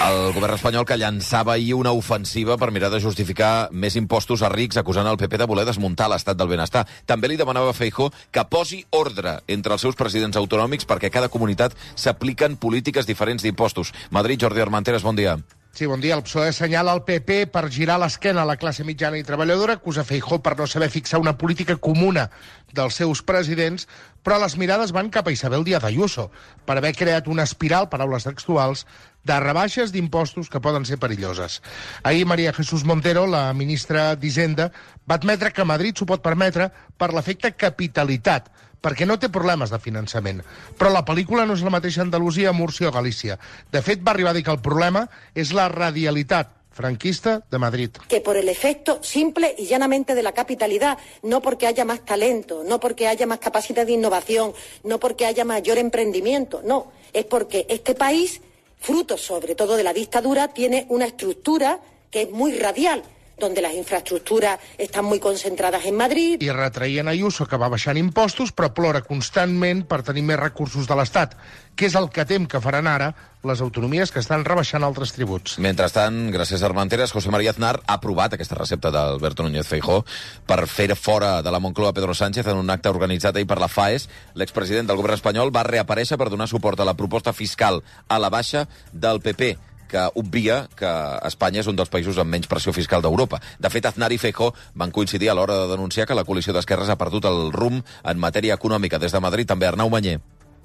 El govern espanyol que llançava ahir una ofensiva per mirar de justificar més impostos a rics, acusant el P P de voler desmuntar l'estat del benestar. També li demanava a Feijóo que posi ordre entre els seus presidents autonòmics perquè a cada comunitat s'apliquen polítiques diferents d'impostos. Madrid, Jordi Armenteres, bon dia. Sí, bon dia. El P S O E assenyala el P P per girar l'esquena a la classe mitjana i treballadora, acusa Feijóo per no saber fixar una política comuna dels seus presidents, però les mirades van cap a Isabel Díaz Ayuso per haver creat una espiral, paraules textuals, de rebaixes d'impostos que poden ser perilloses. Ahir María Jesús Montero, la ministra d'Hisenda, va admetre que Madrid s'ho pot permetre per l'efecte capitalitat, perquè no té problemes de finançament. Però la pel·lícula no és la mateixa a Andalusia, Múrcia o Galícia. De fet, va arribar a dir que el problema és la radialitat franquista de Madrid. Que por el efecto simple y llanamente de la capitalidad, no porque haya más talento, no porque haya más capacidad de innovación, no porque haya mayor emprendimiento, no, es porque este país, fruto sobre todo de la dictadura, tiene una estructura que es muy radial, donde las infraestructuras están muy concentradas en Madrid. I retraien Ayuso que va baixant impostos, però plora constantment per tenir més recursos de l'Estat, que és el que tem que faran ara les autonomies que estan rebaixant altres tributs. Mentrestant, gràcies a Armenteres, José María Aznar ha aprovat aquesta recepta d'Alberto Núñez Feijóo per fer fora de la Moncloa Pedro Sánchez en un acte organitzat ahir per la FAES. L'expresident del govern espanyol va reaparèixer per donar suport a la proposta fiscal a la baixa del P P, que obvia que Espanya és un dels països amb menys pressió fiscal d'Europa. De fet, Aznar i Feijóo van coincidir a l'hora de denunciar que la coalició d'esquerres ha perdut el rumb en matèria econòmica. Des de Madrid, també Arnau Manyer.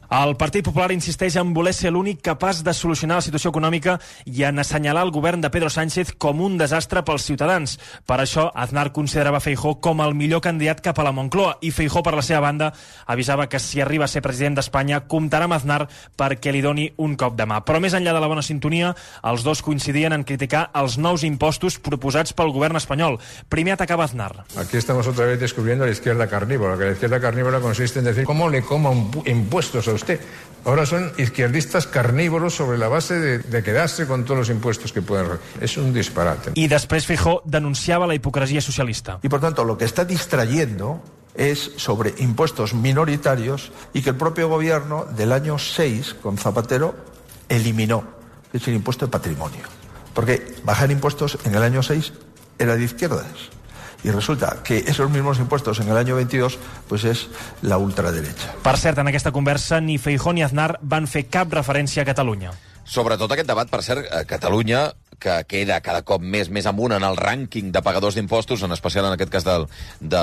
El Partit Popular insisteix en voler ser l'únic capaç de solucionar la situació econòmica i en assenyalar el govern de Pedro Sánchez com un desastre pels ciutadans. Per això, Aznar considerava Feijóo com el millor candidat cap a la Moncloa i Feijóo, per la seva banda, avisava que si arriba a ser president d'Espanya comptarà amb Aznar perquè li doni un cop de mà. Però més enllà de la bona sintonia, els dos coincidien en criticar els nous impostos proposats pel govern espanyol. Primer atacava Aznar. Aquí estamos otra vez descubriendo la izquierda carnívora, que la izquierda carnívora consiste en decir ¿cómo le como impuestos a usted? Ahora son izquierdistas carnívoros sobre la base de, de quedarse con todos los impuestos que pueden. Es un disparate. Y després Feijóo denunciaba la hipocresía socialista. Y por tanto lo que está distrayendo es sobre impuestos minoritarios y que el propio gobierno del año seis con Zapatero eliminó, que es el impuesto de patrimonio. Porque bajar impuestos en el año seis era de izquierdas. Y resulta que esos mismos impuestos en el año veintidós pues es la ultraderecha. Per cert, en aquesta conversa ni Feijóo ni Aznar van fer cap referència a Catalunya. Sobretot aquest debat, per cert, a Catalunya, que queda cada cop més més amunt en el rànquing de pagadors d'impostos, en especial en aquest cas del, de,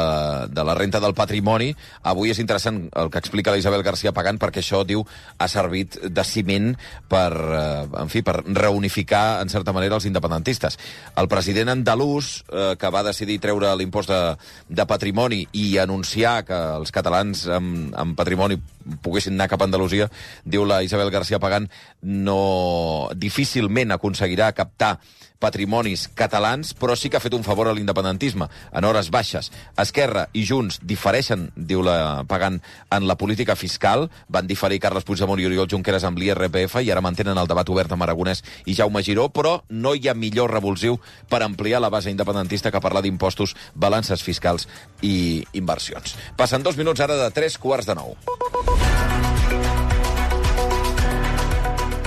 de la renta del patrimoni. Avui és interessant el que explica la Isabel García Pagán, perquè això, diu, ha servit de ciment per, eh, en fi, per reunificar, en certa manera, els independentistes. El president andalús, eh, que va decidir treure l'impost de, de patrimoni i anunciar que els catalans amb, amb patrimoni poguessin anar cap a Andalusia, diu la Isabel García Pagán, no difícilment aconseguirà captar patrimonis catalans, però sí que ha fet un favor a l'independentisme en hores baixes. Esquerra i Junts difereixen, diu la Pagán, en la política fiscal. Van diferir Carles Puigdemont i Oriol Junqueras amb l'I R P F i ara mantenen el debat obert amb Aragonès i Jaume Giró, però no hi ha millor revulsiu per ampliar la base independentista que parlar d'impostos, balances fiscals i inversions. Passen dos minuts ara de tres quarts de nou.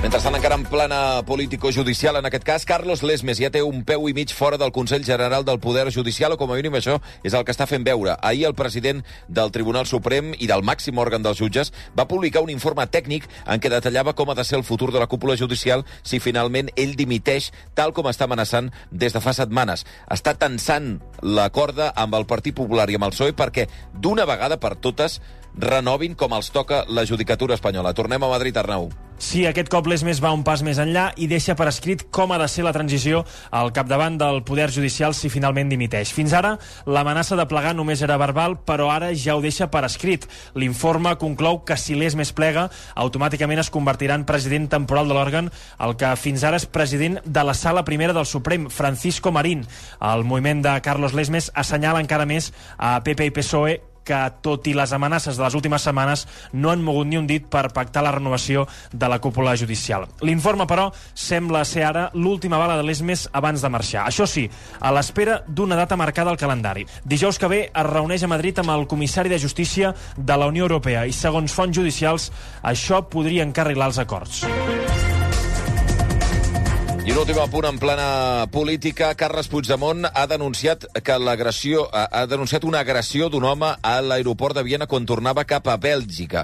Mentrestant, encara en plana político-judicial, en aquest cas, Carlos Lesmes ja té un peu i mig fora del Consell General del Poder Judicial, o com a mínim això és el que està fent veure. Ahir el president del Tribunal Suprem i del màxim òrgan dels jutges va publicar un informe tècnic en què detallava com ha de ser el futur de la cúpula judicial si finalment ell dimiteix, tal com està amenaçant des de fa setmanes. Està tensant la corda amb el Partit Popular i amb el P S O E perquè d'una vegada per totes renovin com els toca la judicatura espanyola. Tornem a Madrid, Arnau. Sí, aquest cop Lesmes va un pas més enllà i deixa per escrit com ha de ser la transició al capdavant del Poder Judicial si finalment dimiteix. Fins ara, l'amenaça de plegar només era verbal, però ara ja ho deixa per escrit. L'informe conclou que si Lesmes plega, automàticament es convertirà en president temporal de l'òrgan, el que fins ara és president de la Sala Primera del Suprem, Francisco Marín. El moviment de Carlos Lesmes assenyala encara més a P P i P S O E que, tot i les amenaces de les últimes setmanes, no han mogut ni un dit per pactar la renovació de la cúpula judicial. L'informe, però, sembla ser ara l'última bala de Lesmes abans de marxar. Això sí, a l'espera d'una data marcada al calendari. Dijous que ve es reuneix a Madrid amb el comissari de Justícia de la Unió Europea i, segons fonts judicials, això podria encarrilar els acords. I un últim apunt en plana política. Carles Puigdemont ha denunciat que l'agressió ha denunciat una agressió d'un home a l'aeroport de Viena quan tornava cap a Bèlgica.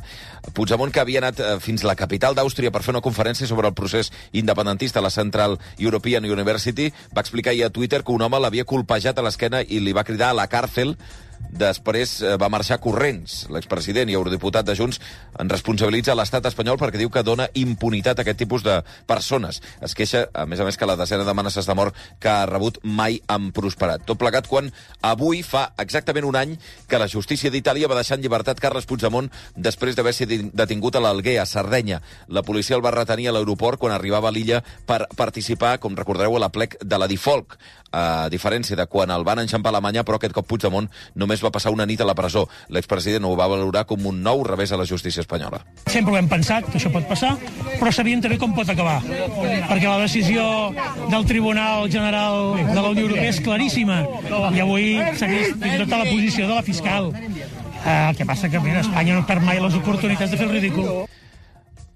Puigdemont, que havia anat fins a la capital d'Àustria per fer una conferència sobre el procés independentista a la Central European University, va explicar ahir a Twitter que un home l'havia colpejat a l'esquena i li va cridar a la càrcel. Després va marxar corrents. L'expresident i eurodiputat de Junts en responsabilitza l'estat espanyol perquè diu que dona impunitat a aquest tipus de persones. Es queixa, a més a més, que la desena d'amenaces de mort que ha rebut mai han prosperat. Tot plegat quan avui fa exactament un any que la justícia d'Itàlia va deixar en llibertat Carles Puigdemont després d'haver sigut detingut a l'Alguer, a Sardenya. La policia el va retenir a l'aeroport quan arribava a l'illa per participar, com recordareu, a l'aplec de la Difolc. A diferència de quan el van enxampar a Alemanya, però aquest cop Puigdemont només va passar una nit a la presó. L'expresident ho va valorar com un nou revés a la justícia espanyola. Sempre ho hem pensat, que això pot passar, però sabíem també com pot acabar. Perquè la decisió del Tribunal General de la Unió Europea és claríssima. I avui segueix tota la posició de la fiscal. Eh, el que passa que a Espanya no perd mai les oportunitats de fer el ridícul.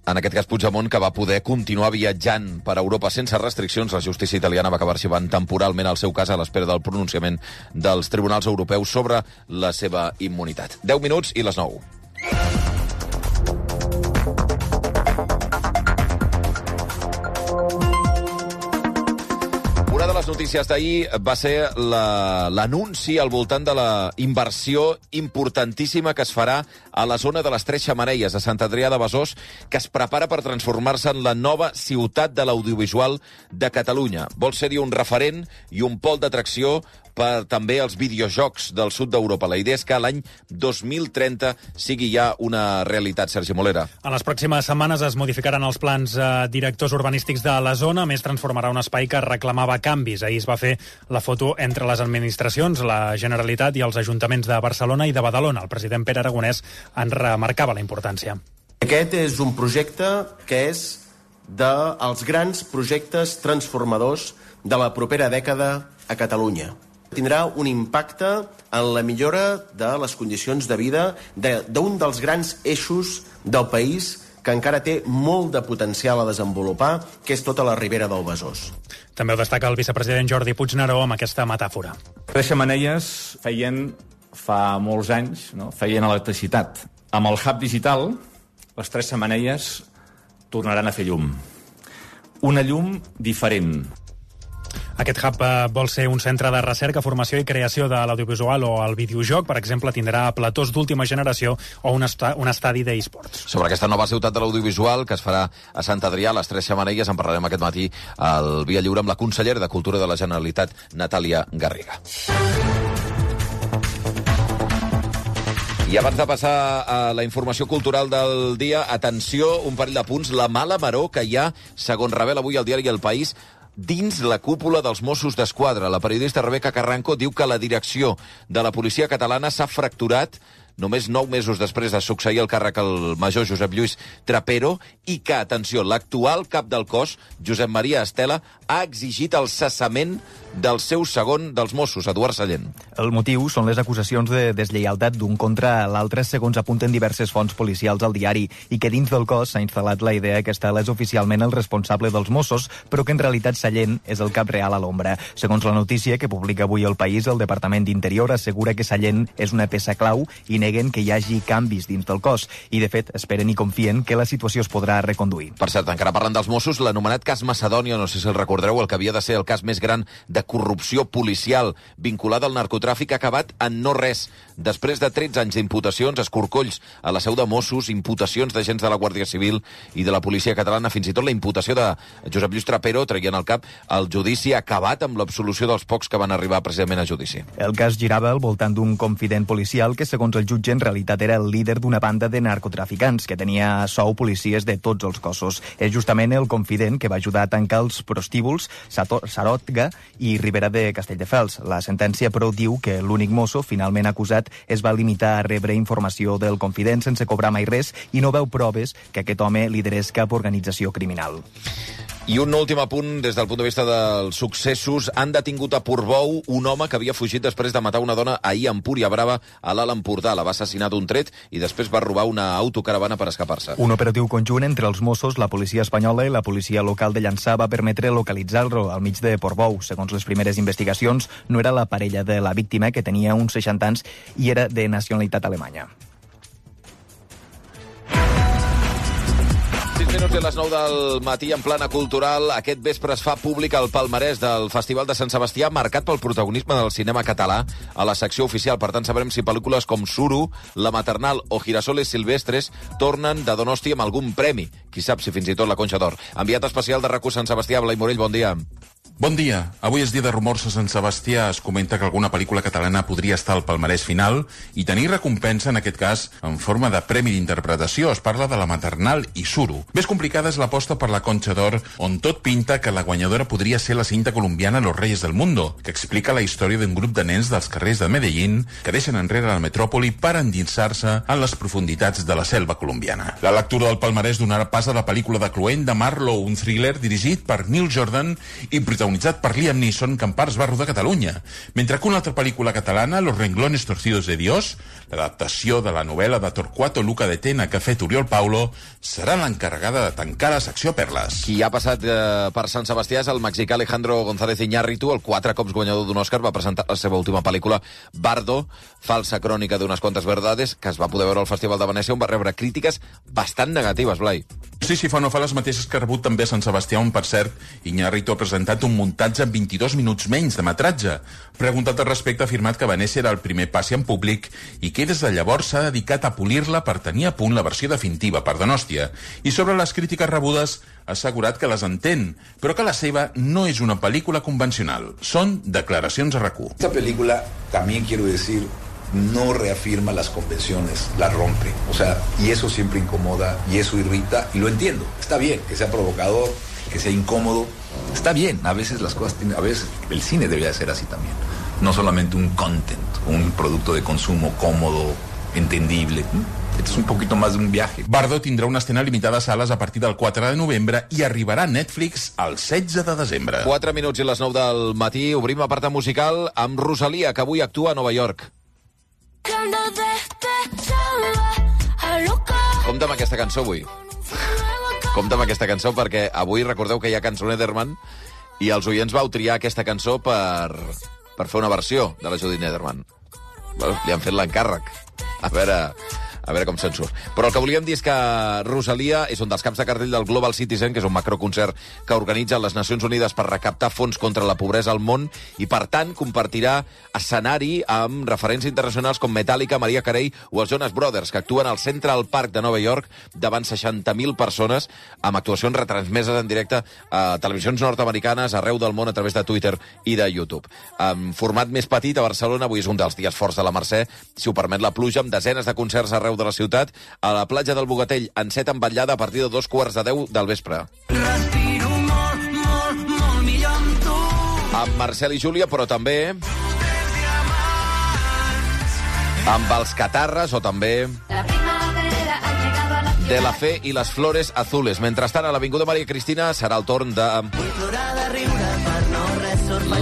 En aquest cas, Puigdemont, que va poder continuar viatjant per Europa sense restriccions, la justícia italiana va acabar arxivant temporalment el seu cas a l'espera del pronunciament dels tribunals europeus sobre la seva immunitat. deu minuts i les nou. Una de les notícies d'ahir va ser l'anunci la, al voltant de la inversió importantíssima que es farà a la zona de les Tres Xemeneies, a Sant Adrià de Besòs, que es prepara per transformar-se en la nova ciutat de l'audiovisual de Catalunya. Vol ser-hi un referent i un pol d'atracció per també els videojocs del sud d'Europa. La idea és que l'any dos mil trenta sigui ja una realitat. Sergi Molera. En les pròximes setmanes es modificaran els plans eh, directors urbanístics de la zona, a més transformarà un espai que reclamava canvis. Ahir es va fer la foto entre les administracions, la Generalitat i els ajuntaments de Barcelona i de Badalona. El president Pere Aragonès en remarcava la importància. Aquest és un projecte que és dels grans projectes transformadors de la propera dècada a Catalunya. Tindrà un impacte en la millora de les condicions de vida d'un de, dels grans eixos del país que encara té molt de potencial a desenvolupar, que és tota la ribera del Besòs. També ho destaca el vicepresident Jordi Puigneró amb aquesta metàfora. Les xemeneies feien fa molts anys, no? feien electricitat. Amb el hub digital, les tres xemeneies tornaran a fer llum. Una llum diferent. Aquest hub eh, vol ser un centre de recerca, formació i creació de l'audiovisual o el videojoc. Per exemple, tindrà platós d'última generació o un, est un estadi d'e-sports. Sobre aquesta nova ciutat de l'audiovisual que es farà a Sant Adrià, a les Tres Xemeneies, en parlarem aquest matí al Via Lliure amb la consellera de Cultura de la Generalitat, Natàlia Garriga. I abans de passar a la informació cultural del dia, atenció, un parell de punts. La mala maror que hi ha, segons revela avui el diari El País, dins la cúpula dels Mossos d'Esquadra. La periodista Rebeca Carranco diu que la direcció de la policia catalana s'ha fracturat només nou mesos després de succeir el càrrec al major Josep Lluís Trapero, i que, atenció, l'actual cap del cos, Josep Maria Estela, ha exigit el cessament del seu segon dels Mossos, Eduard Sallent. El motiu són les acusacions de deslleialtat d'un contra l'altre, segons apunten diverses fonts policials al diari, i que dins del cos s'ha instal·lat la idea que Estela és oficialment el responsable dels Mossos, però que en realitat Sallent és el cap real a l'ombra. Segons la notícia que publica avui El País, el Departament d'Interior assegura que Sallent és una peça clau i neguen que hi hagi canvis dins del cos. I, de fet, esperen i confien que la situació es podrà reconduir. Per cert, encara parlant dels Mossos, l'anomenat cas Macedònia, no sé si el recordeu, el que havia de ser el cas més gran de corrupció policial vinculada al narcotràfic, ha acabat en no res. Després de tretze anys d'imputacions, escorcolls a la seu de Mossos, imputacions d'agents de la Guàrdia Civil i de la policia catalana, fins i tot la imputació de Josep Lluís Trapero, traient al cap, el judici ha acabat amb l'absolució dels pocs que van arribar precisament a judici. El cas girava al voltant d'un confident policial que, segons el jutge, en realitat era el líder d'una banda de narcotraficants que tenia a sou policies de tots els cossos. És justament el confident que va ajudar a tancar els prostíbuls Sarotga i Ribera de Castelldefels. La sentència, però, diu que l'únic mosso finalment acusat es va limitar a rebre informació del confident sense cobrar mai res i no veu proves que aquest home liderés cap organització criminal. I un últim apunt des del punt de vista dels successos. Han detingut a Portbou un home que havia fugit després de matar una dona ahir a Empúria Brava, a l'Alt Empordà. La va assassinar d'un tret i després va robar una autocaravana per escapar-se. Un operatiu conjunt entre els Mossos, la policia espanyola i la policia local de Llançà va permetre localitzar-lo al mig de Portbou. Segons les primeres investigacions, no era la parella de la víctima, que tenia uns seixanta anys i era de nacionalitat alemanya. sis minuts i a les nou del matí en plana cultural. Aquest vespre es fa públic el palmarès del Festival de Sant Sebastià, marcat pel protagonisme del cinema català a la secció oficial. Per tant, sabrem si pel·lícules com Suro, La Maternal o Girasoles Silvestres tornen de Donosti amb algun premi. Qui sap si fins i tot la Conxa d'Or. Enviat especial de RAC u Sant Sebastià, Blai Morell, bon dia. Bon dia. Avui és dia de rumors a Sant Sebastià. Es comenta que alguna pel·lícula catalana podria estar al palmarès final i tenir recompensa, en aquest cas, en forma de premi d'interpretació. Es parla de La Maternal i Suro. Més complicada és l'aposta per la Conxa d'Or, on tot pinta que la guanyadora podria ser la cinta colombiana Los Reyes del Mundo, que explica la història d'un grup de nens dels carrers de Medellín que deixen enrere la metròpoli per endinsar-se en les profunditats de la selva colombiana. La lectura del palmarès donarà pas a la pel·lícula de Cluent de Marlowe, un thriller dirigit per Neil Jordan i protagonitzat per Liam Neeson, que en parts va rodar a Catalunya, mentre que una altra pel·lícula catalana, Los Renglones Torcidos de Dios, l'adaptació de la novel·la de Torquato Luca de Tena que ha fet Oriol Paulo, serà l'encarregada de tancar la secció Perles. Qui ha passat eh, per Sant Sebastià és el mexicà Alejandro González Iñárritu, el quatre cops guanyador d'un Òscar, va presentar la seva última pel·lícula, Bardo, falsa crònica d'unes quantes verdades, que es va poder veure al Festival de Venècia, on va rebre crítiques bastant negatives, Blai. Sí, sí, fa no fa les mateixes que ha rebut també a Sant Sebastià, on, per cert, Iñárritu ha presentat un muntatge en vint-i-dos minuts menys de metratge. Preguntat al respecte, ha afirmat que Venècia era el primer passi en públic i que des de llavors s'ha dedicat a polir-la per tenir a punt la versió definitiva per Donòstia. I sobre les crítiques rebudes, ha assegurat que les entén, però que la seva no és una pel·lícula convencional. Són declaracions a RAC u. Esta película, también quiero decir, no reafirma las convenciones, las rompe. O sea, y eso siempre incomoda, y eso irrita, y lo entiendo. Está bien que sea provocador, que sea incómodo. Está bien, a veces las cosas tienen, a veces el cine debería ser así también. No solamente un content, un producto de consumo cómodo, entendible. Esto es un poquito más de un viaje. Bardo tindrà una escena limitada a sales a partir del quatre de novembre i arribarà a Netflix el setze de desembre. quatre minuts i les nou del matí. Obrim apartat musical amb Rosalia, que avui actua a Nova York. Compte amb aquesta cançó avui. Compte amb aquesta cançó perquè avui recordeu que hi ha cançó Nederman i els oients vau triar aquesta cançó per, per fer una versió de la Judy Nederman. Bueno, li han fet l'encàrrec. A veure... A veure com se'n surt. Però el que volíem dir és que Rosalia és un dels caps de cartell del Global Citizen, que és un macroconcert que organitza les Nacions Unides per recaptar fons contra la pobresa al món i, per tant, compartirà escenari amb referents internacionals com Metallica, Mariah Carey o els Jonas Brothers, que actuen al Central Park de Nova York davant seixanta mil persones amb actuacions retransmeses en directe a televisions nord-americanes arreu del món a través de Twitter i de YouTube. En format més petit, a Barcelona, avui és un dels dies forts de la Mercè, si ho permet la pluja, amb desenes de concerts arreu de la ciutat, a la platja del Bogatell, en set envetllada a partir de dos quarts de deu del vespre. Respiro molt, molt, molt millor amb tu. Amb Marcel i Júlia, però també... Amb els Catarres o també De la Fe i les Flores Azules. Mentrestant, a l'Avinguda Maria Cristina serà el torn de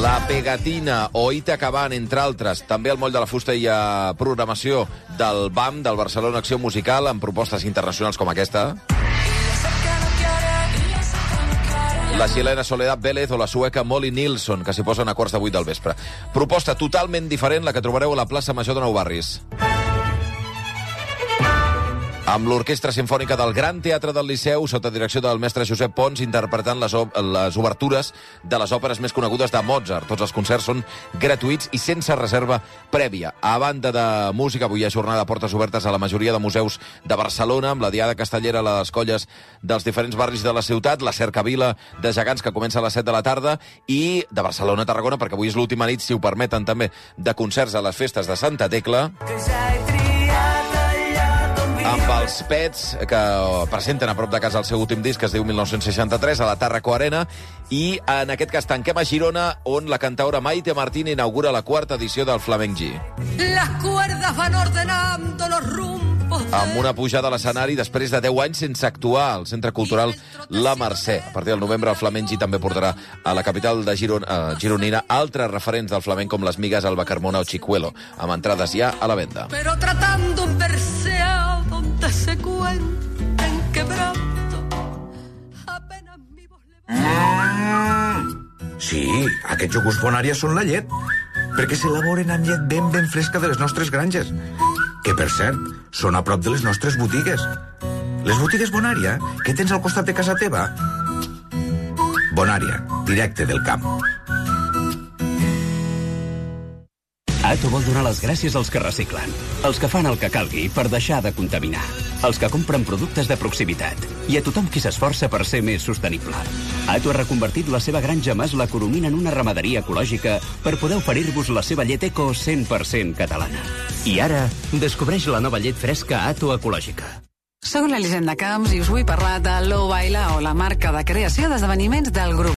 La Pegatina o Ita Cabán, entre altres. També al Moll de la Fusta hi ha programació del B A M, del Barcelona Acció Musical, amb propostes internacionals com aquesta. La xilena Soledad Vélez o la sueca Molly Nilsson, que s'hi posen a quarts de vuit del vespre. Proposta totalment diferent, la que trobareu a la plaça Major de Nou Barris. Amb l'Orquestra Simfònica del Gran Teatre del Liceu, sota direcció del mestre Josep Pons, interpretant les, les obertures de les òperes més conegudes de Mozart. Tots els concerts són gratuïts i sense reserva prèvia. A banda de música, avui hi ha jornada de portes obertes a la majoria de museus de Barcelona, amb la Diada Castellera a les colles dels diferents barris de la ciutat, la Cercavila de Gegants, que comença a les set de la tarda, i de Barcelona a Tarragona, perquè avui és l'última nit, si ho permeten, també, de concerts a les festes de Santa Tecla, amb els Pets, que presenten a prop de casa el seu últim disc, que es diu mil nou-cents seixanta-tres, a la Tàrraco Arena, i en aquest cas tanquem a Girona, on la cantaora Maite Martín inaugura la quarta edició del Flamenc G. Las cuerdas van ordenando los rumbos. Amb una pujada a l'escenari després de deu anys sense actuar al Centre Cultural La Mercè. A partir del novembre, el Flamenc G també portarà a la capital de Giron, eh, gironina altres referents del flamenc com les Migues, Alba Carmona o Chicuelo, amb entrades ja a la venda. Pero tratando un verseado donde se cuenten quebranto. Apenas mi voz le... Mm. Sí, aquests iogurts Bonària són la llet, perquè s'elaboren amb llet ben ben fresca de les nostres granges, que, per cert, són a prop de les nostres botigues. Les botigues Bonària, que tens al costat de casa teva? Bonària, directe del camp. Ato vol donar les gràcies als que reciclen, als que fan el que calgui per deixar de contaminar, als que compren productes de proximitat i a tothom qui s'esforça per ser més sostenible. Ato ha reconvertit la seva granja Mas la Coromina en una ramaderia ecològica per poder oferir-vos la seva llet eco cent per cent catalana. I ara, descobreix la nova llet fresca Ato Ecològica. Soc l'Elisenda Camps i us vull parlar de Low Baila, o la marca de creació d'esdeveniments del grup